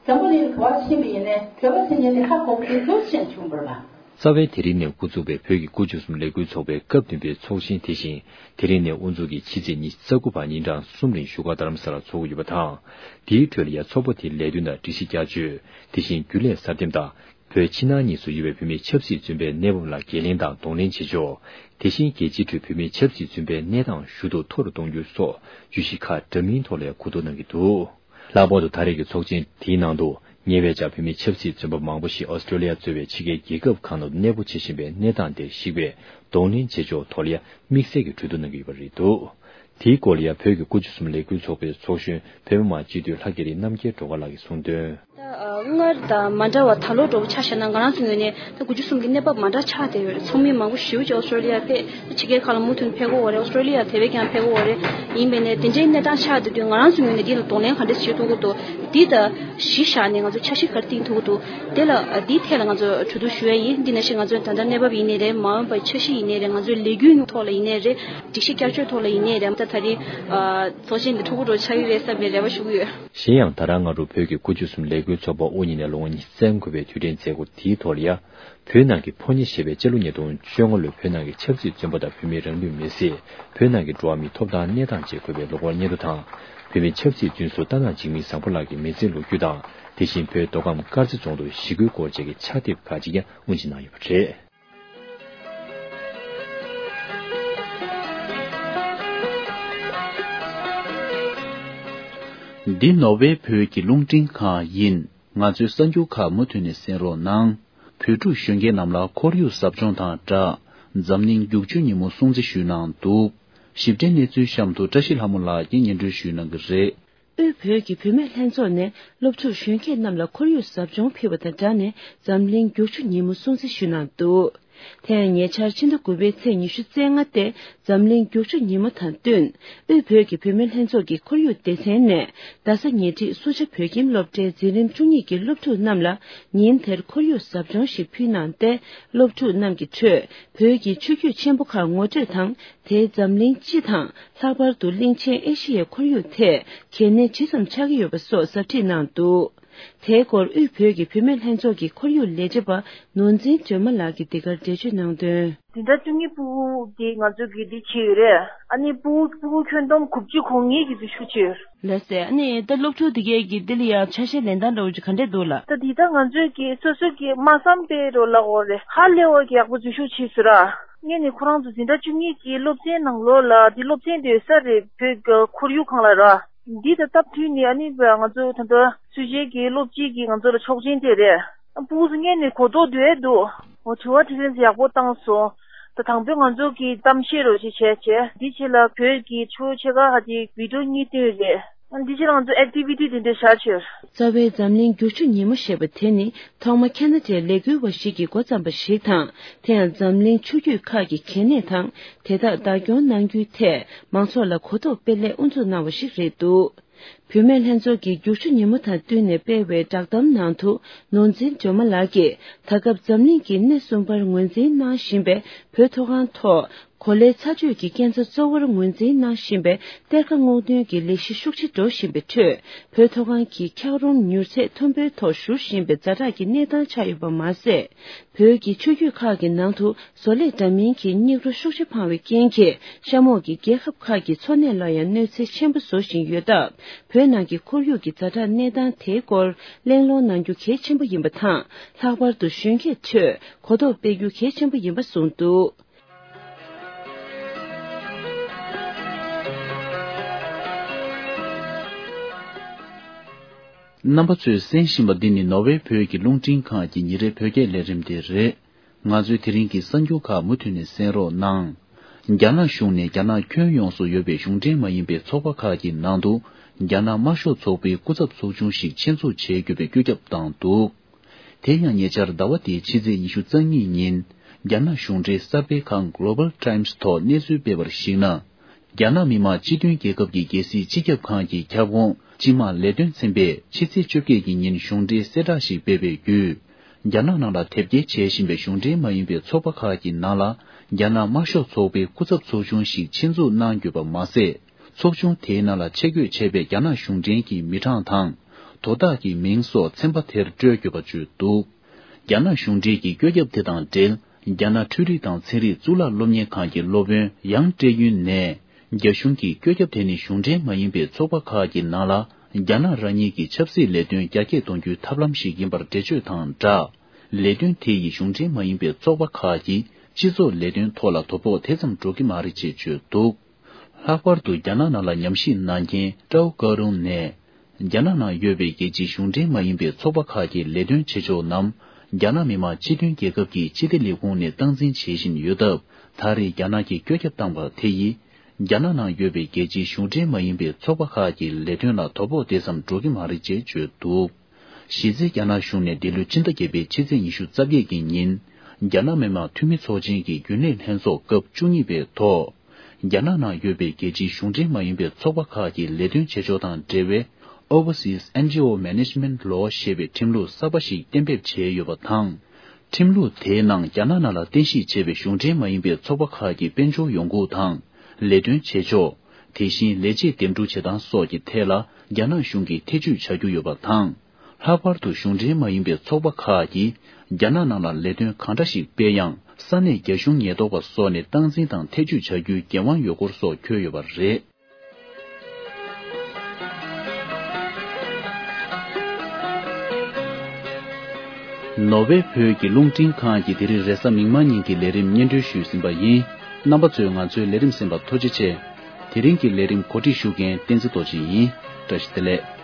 འཛམ་བུ་གླིང་ག་པར་ཕྱིན་པ་ཡིན་ནའི་བོད་པ་ཟེར་མཁན་དེ་ཧ་གོ་གི་འདུག་ཅེས་བྱུང་བ་རེད་པ། རྩ་བའི་དེ་རིང་ནས་འགོ་བཙུགས་པའི་བོད་ཀྱི་དགུ་བཅུ་གསུམ་ལས་འགུལ་ཚོགས་པའི་སྐབས་བདུན་པའི་ཚོགས་ཆེན་དེ་བཞིན་དེ་རིང་ནས་དབུ་འཛུགས་ཀྱིས་ཕྱི་ཚེས་ཉི་ཤུ་རྩ་དགུ་བར་ཉིན་གྲངས་གསུམ་རིང་བཞུགས་སྒར་རྡ་རམ་ས་ལར་འཚོགས་ཀྱི་ཡོད་པ་དང་། དེའི་ཁྲོད་ལ་ཡང་ཚོགས་པ་དེའི་ལས་དོན་དང་སྒྲིག་གཞི་བསྐྱར་བཅོས། དེ་བཞིན་རྒྱུན་ལས་གསར་འདེམས་དང་། བོད་ཕྱི་ནང་གཉིས་སུ་ཡོད་པའི་བོད་མིའི་ཆབ་སྲིད་བཙོན་པའི་གནས་བབ་ལ་འགན་ལེན་དང་གདོང་ལེན་བྱེད་ཕྱོགས། དེ་བཞིན་རྒྱལ་སྤྱིའི་ཁྲོད་བོད་མིའི་ཆབ་སྲིད་བཙོན་པའི་གནས་སྟངས་ཞུ་གཏུག་མཐོ་རུ་གཏོང་རྒྱུ་སོགས་བརྗོད་གཞི་ཁག་འདྲ་མིན་ཐོག་ལ་གོ་བསྡུར་གནང་གི་འདུག་ལྷག་པར་དུ་ད་རེས་ཀྱི་ཚོགས་ཆེན་དེའི་ནང་དུ་ཉེ་བའི་ཆར་བོད་མིའི་ཆབ་སྲིད་བཙོན་པ་མང་པོ་ཞིག་ཨོ་སི་ཀྲོ་ལི་ཡ་གཙོས་པའི་ཕྱི་རྒྱལ་རྒྱལ་ཁབ་ཁག་ནང་དུ་གནས་སྤོ་བྱེད་བཞིན་པའི་གནས་སྟངས་དེར་གཞིགས་པའི་གདོང་ལེན་བྱེད་ཕྱོགས་ཐོག་ལ་ཡང་དམིགས་བསལ་གྱི་གྲོས་བསྡུར་གནང་གི་ཡོད་པ་རེད་འདུག་དེའི་སྐོར་ལ་ཡང་བོད་ཀྱི་དགུ་བཅུ་གསུམ་ལས་འགུལ་ཚོགས་པའི་ཚོགས་གཞོན་བོད་མི་མང་སྤྱི་འཐུས་ལྷ་རྒྱ་རི་རྣམ་རྒྱལ་སྒྲོལ་དཀར་ལགས་ཀྱིས་གསུངས་དོན། ད་སྔར་དང་མ་འདྲ་བ་ད་ལོ་འགྲོ་བ་ཆ་བཞག་ན་ང་རང་ཚོའི་ངོས་ནས་ད་དགུ་བཅུ་གསུམ་གྱི་གནས་བབ་མ་འདྲ་ཆགས་བསྡད་ཡོད་རེད། ཚོགས་མི་མང་པོ་ཞེ་པོ་ཅིག་ཨོ་སི་ཀྲོ་ལི་ཡར་ཕེབས། ཕྱི་རྒྱལ་ཁག་ལ་མུ་མཐུད་ཕེབས་ཀྱི་ཡོད་རེད། ཨོ་སི་ཀྲོ་ལི་ཡར་དེ་བས་ཀྱང་ཕེབས་ཀྱི་ཡོད་རེད། ཡིན་པས་ནས་དེ་འདྲའི་གནས་སྟངས་ཆགས་བསྡད་དུས་ང་རང་ཚོའི་ངོས་ནས་འདི་ལ་གདོང་ལེན་ག་འདྲས་བྱེད་ཐུབ་ཀྱི་འདུག་འདི་ད་གཞི་བཞག་ནས་ང་ཚོ་འཆར་གཞི་ག་རེ་བཏིང་ཐུབ་ཀྱི་འདུག་དེ་ལ་འདིའི་ཐད་ལ་ང་ཚོ་གྲོས་བསྡུར་ཞུ་ཡ་ཡིན། འདི་ནང་བཞིན་ང་ཚོའི་ད་ལྟ་གནས་བབ་ཡིན་ནའི་རེད། མ་འོངས་པའི་འཆར་གཞི་ཡིན་ནའི་རེད། ང་ཚོའི་ལས་འགུལ་ཐོག་ལ་ཡིན་ནའི་རེད། སྒྲིག་གཞི་བསྐྱར་བཅོས་ཐོག་ལ་ཡིན་ནའི་རེད། ད་ད་རེས་ཚོགས་ཆེན་འདི་འཁྲུག་པོ་འགྲོ་ཆགས་ཀྱི་རེད་བསམ་པའི་རེ་བ་ཞུ་གི་ཡོད། གཞན་ཡང་ད་རང་སྔ་དྲོ་བོད་ཀྱི་དགུ་བཅུ་གསུམ་ལས་ གུའི་ཚོགས་པ་དབུ་བརྙེས་ནས་ལོ་ངོ་ཉི་ཤུ་རྩ་དགུ་པའི་དུས་དྲན་མཛད་སྒོ་དེའི་ཐོག་ལ་ཡ། བོད་ནང་གི་ཕོ་ཉ་ཞེས་པའི་སྤྱི་ལོ་ཉིས་སྟོང་བཅོ་ལྔ་ལོའི་བོད་ནང་གི་ཆབ་སྲིད་བཙོན་པ་དང་བོད་མིའི་རང་ལུས་མེར་སྲེག་བོད་ནང་གི་འགྲོ་བ་མིའི་ཐོབ་ཐང་གནས་སྟངས་བཅས་འཁོད་པའི་ལོ་འཁོར་སྙན་ཐོ་དང་། བོད་མིའི་ཆབ་སྲིད་བཙོན་ཟུར་རྟ་ནག་འཇིགས་མེད་བཟང་པོ་ལགས་ཀྱི་མི་ཚེའི་ལོ་རྒྱུས་དང་། དེ་བཞིན་བོད་མདོ་ཁམས་དཀར་མཛེས་རྫོང་དུ་ཞི་རྒོལ་སྐོར་བཅས་ཀྱི་ཕྱག་དེབ་ཁག་ཅིག་ཀྱང་དབུ་འབྱེད་གནང་ཡོད་པ་རེད། འདི་ནོར་ཝེ་བོད་ཀྱི་རླུང་འཕྲིན་ཁང་ཡིན། ང་ཚོའི་གསར་འགྱུར་ཁག་མུ་མཐུད་ནས་གསན་རོགས་གནང་། བོད་ཕྲུག་གཞོན་སྐྱེས་རྣམས་ལ་ཁོར་ཡུག་ཟབ་སྦྱོང་དང་སྦྲགས། འཛམ་གླིང་རྒྱུག་ཆུ་ཉིན་མོ་སྲུང་བརྩི་ཞུས་གནང་འདུག་ཞིབ་ཕྲའི་གནས་ཚུལ་གཤམ་དུ་བཀྲ་ཤིས་ལྷ་མོ་ལགས་ཀྱིས་སྙན་སྒྲོན་ཞུས་གནང་གི་རེད། དབུས་བོད་ཀྱི་བུད་མེད་ལྷན་ཚོགས་ནས་སློབ་ཕྲུག་གཞོན་སྐྱེས་རྣམས་ལ་ཁོར་ཡུག་ཟབ་སྦྱོང་ཕུལ་བ་དང་སྦྲགས་ནས་འཛམ་གླིང་རྒྱུག་ཆུ་ཉིན་མོ་སྲུང་བརྩི་ཞུས་གནང་འདུག་དེ་ཡང་ཉེ་ཆར་ཕྱི་ཟླ་དགུ་པའི་ཚེས་ཉི་ཤུ་རྩ་ལྔ་སྟེ་འཛམ་གླིང་རྒྱུག་ཆུ་ཉིན་མོ་དང་བསྟུན། དབུས་བོད་ཀྱི་བུད་མེད་ལྷན་ཚོགས་ཀྱི་ཁོར་ཡུག་སྡེ་ཚན་ནས་རྡ་ས་ཉེ་འཁྲིས་སུ་ཇཱ་བོད་ཁྱིམ་སློབ་གྲྭའི་འཛིན་རིམ་བཅུ་གཉིས་ཀྱི་སློབ་ཕྲུག་རྣམས་ལ་ཉིན་དེར་ཁོར་ཡུག་ཟབ་སྦྱོང་ཞིག་ཕུལ་གནང་སྟེ། སློབ་ཕྲུག་རྣམས་ཀྱི་ཁྲོད་བོད་ཀྱི་ཆུ་རྒྱུད་ཆེན་པོ་ཁག་ངོ་སྤྲོད་དང་། དེའི་འཛམ་གླིང་སྤྱི་དང་། ལྷག་པར་དུ་གླིང་ཆེན་ཨེ་ཤི་ཡའི་ཁོར་ཡུག་ཐད་གལ་གནད་ཇི་ཙམ་ཆགས་ཀྱི་ཡོད་པ་སོགས་ཟབ་ཁྲིད་གནང་འདུག་དེའི་སྐོར་དབུས་བོད་ཀྱི་བུད་མེད་ལྷན་ཚོགས་ཀྱི་ཁོར་ཡུག་ལས་བྱེད་པ་ནོར་འཛིན་སྒྲོལ་མ་ལགས་ཀྱིས་འདི་གར་འགྲེལ་བརྗོད་གནང་དོན། འཛིན་གྲྭ་བཅུ་གཉིས་ཕྲུ་གུ་དེ་ང་ཚོ་གིས་འདི་བྱས་ཡོད་རེད། ཨ་ནི་ཕྲུ་གུ་ཕྲུ་གུ་ཁྱོན་བསྡོམས་དགུ་བཅུ་གོ་ལྔ་གིས་འཛུལ་ཞུགས་བྱས་ཡོད། ལགས་སེ། ཨ་ནི་ད་སློབ་ཕྲུག་དེ་གས་ཀྱིས་འདི་ལ་ཡང་ཆ་ཤས་ལེན་སྟངས་འདྲ་བོ་ཅིག་ག་འདྲས་འདུག་ལགས། ད་འདི་ད་ང་ཚོས་ཀྱིས་སོ་སོ་གིས་མ་བསམ་པའི་རོ་ལ་འོ་རེད། ཧ་ལས་པ་གི་ཡག་པོ་འཛུལ་ཞུགས་བྱས་སོང་ར། ངས་ནི་ཁོ་རང་ཚོ་འཛིན་གྲྭ་བཅུ་གཉིས་ཀྱི་སློབ་ཚན་ནང་ལོགས་ལ་འདི་སློབ་ཚན་དེ་ས་རེད་བོད་ཀྱི་ཁོར་ཡུག་ཁང་ལ་ར། འདི་ད་སྟབས་བསྟུན་ནས་ཨ་ནི་ང་ཚོ་ད་ལྟ་སུ་ཇཱ་གི་སློབ་སྤྱི་གིས་ང་ཚོ་ལ་ཆོག་མཆན་སྤྲད་རེད། ཕྲུ་གུ་ཚོ་སྔོན་ནས་གོ་རྟོགས་འདུག་ཨེ་འདུག་འོ་དྲི་བ་དྲིས་ལན་ཡག་པོ་བཏང་སོང་། ད་དང་པོ་ང་ཚོ་གིས་གཏམ་བཤད་རོགས་ཞེས་བྱས་བྱས། འདི་ཕྱི་ལ་བོད་ཀྱི་ཆོས་ཕྱེད་ཀ་ཧ་ཅིག་བི་ཌིའོ་གཉིས་བཏོན་རེད། འདི་ཕྱི་ལ་ང་ཚོ་ཨེག་ཊི་བི་ཊི་དེ་འདྲ་བཞག་བྱས། རྩ་བའི་འཛམ་གླིང་རྒྱུག་ཆུ་ཉིན་མོ་ཞེས་པ་དེ་ནི་ཐོག་མ་ཁ་ན་ཌའི་ལས་འགུལ་བ་ཞིག་གིས་འགོ་བརྩམས་པ་ཞིག་དང་། དེ་ཡང་འཛམ་གླིང་ཆུ་རྒྱུད་ཁག་གི་གལ་གནད་དང་། དེ་དག་བདག་སྐྱོང་གནང་རྒྱུའི་ཐད་མང་ཚོགས་ལ་གོ་རྟོགས་སྤེལ་སླད་དབུ་འཛུགས་གནང་བ་ཞིག་རེད་འདུག་བུད་མེད་ལྷན་ཚོགས་ཀྱིས་རྒྱུག་ཆུ་ཉིན་མོ་དང་བསྟུན་ནས་སྤེལ་བའི་བསྒྲགས་གཏམ་ནང་དུ། ནོར་འཛིན་སྒྲོལ་མ་ལགས་ཀྱིས་ད་སྐབས་འཛམ་གླིང་གི་སྣེ་གསུམ་པར་ངོས་འཛིན་གནང་བཞིན་པའི་བོད་མཐོ་སྒང་ཐོག་གོ་ལའི་ཚ་དྲོད་ཀྱི་སྐྱེ་འཚར་གཙོ་བོར་ངོས་འཛིན་གནང་བཞིན་པའི་གཏེར་ཁ་སྔོག་འདོན་གྱི་ལས་གཞི་ཤུགས་ཆེ་འགྲོ་བཞིན་པའི་ཁྲོད། བོད་མཐོ་སྒང་གི་འཁྱགས་རོམ་མྱུར་ཚད་མཐོན་པོའི་ཐོག་བཞུར་བཞིན་པའི་ཛ་དྲག་གི་གནས་སྟངས་ཆགས་ཡོད་པ་མ་ཟད། བོད་ཀྱི་ཆུ་རྒྱུད་ཁག་གི་ནང་དུ། བཟོ་ལས་འདྲ་མིན་གྱི་སྙིགས་རོ་ཤུགས་ཆེ་འཕངས་པའི་རྐྱེན་གྱིས། གཤམ་འོག་གི་རྒྱལ་ཁབ་ཁག་གི་འཚོ་གནས་ལ་ཡང་གནོད་འཚེ་ཆེན་པོ་བཟོ་བཞིན་ཡོད་སྟབས། བོད་ནང་གི་ཁོར་ཡུག་གི་ཛ་དྲག་གནས་སྟངས་དེའི་སྐོར་གླེང་སློང་གནང་རྒྱུ་གལ་ཆེན་པོ་ཡིན་པ་དང་། ལྷག་པར་དུ་གཞོན་སྐྱེས་ཁྲོད་གོ་རྟོགས་སྤེལ་རྒྱུ་གལ་ཆེན་པོ་ཡིན་པ་གསུངས་འདུག་རྣམ་པ་ཚོས་གསན་བཞིན་པ་འདི་ནི་ནོར་ཝེ་བོད་ཀྱི་རླུང་འཕྲིན་ཁང་གི་ཉིན་རེའི་བོད་སྐད་ལས་རིམ་དེ་རེད། ང་ཚོའི་དེ་རིང་གི་གསར་འགྱུར་ཁག་མུ་མཐུད་ནས་གསན་རོགས་གནང་། རྒྱ་ནག་གཞུང་ནས་རྒྱ་ནག་ཁྱོན་ཡོངས་སུ་ཡོད་པའི་གཞུང་འབྲེལ་མ་ཡིན་པའི་ཚོགས་པ་ཁག་གི་ནང་དུ། རྒྱ་ནག་དམར་ཤོག་ཚོགས་པའི་སྐུ་ཚབ་ཚོགས་ཆུང་ཞིག་ཆེད་འཛུགས་བྱེད་དགོས་པའི་བཀོད་ཁྱབ་བཏང་འདུག་དེ་ཡང་ཉེ་ཆར་ཟླ་བ་འདིའི་ཕྱི་ཚེས་ཉི་ཤུ་རྩ་གཉིས་ཉིན། རྒྱ་ནག་གཞུང་འབྲེལ་གསར་སྤེལ་ཁང་Global Times་ཐོག་གནས་ཚུལ་སྤེལ་བར་གཞིགས་ན། རྒྱ་ནག་མི་དམངས་སྤྱི་མཐུན་རྒྱལ་ཁབ་ཀྱི་རྒྱལ་སྲིད་སྤྱི་ཁྱབ་ཁང་གི་ཁྱབ་ཁོངས་སྤྱི་དམངས་ལས་དོན་ཚན་པས་ཕྱི་ཚེས་བཅོ་བརྒྱད་ཀྱི་ཉིན་གཞུང་འབྲེལ་གསལ་བསྒྲགས་ཤིག་སྤེལ་བའི་བརྒྱུད། རྒྱ་ནག་ནང་ལ་དེབ་སྐྱེལ་བྱེད་བཞིན་པའི་གཞུང་འབྲེལ་མ་ཡིན་པའི་ཚོགས་པ་ཁག་གི་ནང་ལ། རྒྱ་ནག་དམར་ཤོག་ཚོགས་པའི་སྐུ་ཚབ་ཚོགས་ཆུང་ཞིག་ཆེད་འཛུགས་གནང་དགོས་པ་མ་ཟད། ཚོགས་ཆུང་དེའི་ནང་ལ་ཆེད་བསྐོས་བྱས་པའི་རྒྱ་ནག་གཞུང་འབྲེལ་གྱི་མི་གྲངས་དང་། དོ་བདག་གི་མིང་སོགས་ཚན་པ་དེར་སྤྲོད་དགོས་པ་བརྗོད་འདུག་རྒྱ་ནག་གཞུང་འབྲེལ་གྱི་བཀོད་ཁྱབ་དེ་དང་འབྲེལ། རྒྱ་ནག་འཕྲུལ་རིག་དང་ཚན་རིག་གཙུག་ལག་སློབ་གཉེར་ཁང་གི་སློབ་དཔོན་ཡང་ཀྲེ་ཡུན་ནས། རྒྱ་གཞུང་གིས་བཀོད་ཁྱབ་དེ་ནི་གཞུང་འབྲེལ་མ་ཡིན་པའི་ཚོགས་པ་ཁག་གི་ནང་ལ། རྒྱ་ནག་རང་ཉིད་ཀྱི་ཆབ་སྲིད་ལས་དོན་རྒྱ་སྐྱེད་གཏོང་རྒྱུའི་ཐབས་ལམ་ཞིག་ཡིན་པར་འགྲེལ་བརྗོད་དང་སྦྲགས། ལས་དོན་དེ་ཡིས་གཞུང་འབྲེལ་མ་ཡིན་པའི་ཚོགས་པ་ཁག་གི་སྤྱི་ཚོགས་ལས་དོན་ཐོག་ལ་དོ་ཕོག་དེ་ཙམ་འགྲོ་གི་མ་རེད་ཅེས་བརྗོད་འདུག་ལྷག་པར་དུ་རྒྱ་ནག་ནང་ལ་ཉམས་ཞིབ་གནང་མཁན་ཀྲའོ་ཀ་རུང་ནས། རྒྱ་ནག་ནང་ཡོད་པའི་རྒྱལ་སྤྱིའི་གཞུང་འབྲེལ་མ་ཡིན་པའི་ཚོགས་པ་ཁག་གི་ལས་དོན་བྱེད་ཕྱོགས་རྣམས། རྒྱ་ནག་མི་དམངས་སྤྱི་མཐུན་རྒྱལ་ཁབ་ཀྱི་སྤྱི་བདེ་ལས་ཁུངས་ནས་སྟངས་འཛིན་བྱེད་བཞིན་ཡོད་སྟབས། ད་རེས་རྒྱ་ནག་གིས་བཀོད་ཁྱབ་བཏང་པ་དེ་ཡིས། རྒྱ་ནག་ནང་ཡོད་པའི་རྒྱལ་སྤྱིའི་གཞུང་འབྲེལ་མ་ཡིན་པའི་ཚོགས་པ་ཁག་གི་ལས་དོན་ལ་དོ་ཕོག་དེ་ཙམ་འགྲོ་གི་མ་རེད་ཅེས་བརྗོད་འདུག་གཞི་རྩའི་རྒྱ་ནག་གཞུང་ནས་འདི་ལོའི་ཕྱི་ཟླ་བརྒྱད་པའི་ཕྱི་ཚེས་ཉི་ཤུ་རྩ་བརྒྱད་ཀྱི་ཉིན། རྒྱ་ནག་མི་དམངས་འཐུས་མི་ཚོགས་ཆེན་གྱི་རྒྱུན་ལས་ལྷན་ཚོགས་སྐབས་བཅུ་གཉིས་པའི་ཐོག་རྒྱ་ནག་ནང་ཡོད་པའི་རྒྱལ་སྤྱིའི་གཞུང་འབྲེལ་མ་ཡིན་པའི་ཚོགས་པ་ཁག་གི་ལས་དོན་བྱེད་ཕྱོགས་དང་འབྲེལ་བའི་Overseas N G O Management Law ཞེས་པའི་ཁྲིམས་ལུགས་གསར་པ་ཞིག་གཏན་འབེབས་བྱས་ཡོད་པ་དང་། ཁྲིམས་ལུགས་དེའི་ནང་རྒྱ་ནག་ནང་ལ་རྟེན་གཞི་བྱས་པའི་གཞུང་འབྲེལ་མ་ཡིན་པའི་ཚོགས་པ་ཁག་གི་དཔལ་འབྱོར་ཡོང་ཁུངས་དང་། ལས་དོན་བྱེད་ཕྱོགས། དེ་བཞིན་ལས་བྱེད་འདེམས་སྒྲུག་བྱེད་སྟངས་སོགས་ཀྱི་ཐད་ལ་རྒྱ་ནག་གཞུང་གིས་ཐེ་ཇུས་བྱ་རྒྱུ་ཡོད་པ་དང་། ལྷག་པར་དུ་གཞུང་འབྲེལ་མ་ཡིན་པའི་ཚོགས་པ་ཁག་གིས་རྒྱ་ནག་ནང་ལ་ལས་དོན་གང་འདྲ་ཞིག་སྤེལ་ཡང་། ས་གནས་རྒྱ་གཞུང་ཉེན་རྟོག་པ་སོགས་ནས་སྟངས་འཛིན་དང་ཐེ་བྱུས་བྱ་རྒྱུའི་འགན་དབང་ཡོད་སྐོར་སོགས་འཁོད་ཡོད་པ་རེད། ནོར་ཝེ་བོད་ཀྱི་རླུང་འཕྲིན་ཁང་གིས་དེ་རིང་རེས་གཟའ་མིག་དམར་ཉིན་གྱི་ལས་རིམ་སྙན་སྒྲོན་ཞུས་ཟིན་པ་ཡིན། རྣམ་པ་ཚོས་ང་ཚོའི་ལས་རིམ་གསན་པར་ཐུགས་རྗེ་ཆེ། དེ་རིང་གི་ལས་རིམ་གོ་སྒྲིག་ཞུ་མཁན་བསྟན་འཛིན་རྡོ་རྗེ་ཡིན། བཀྲ་ཤིས་བདེ་ལེགས།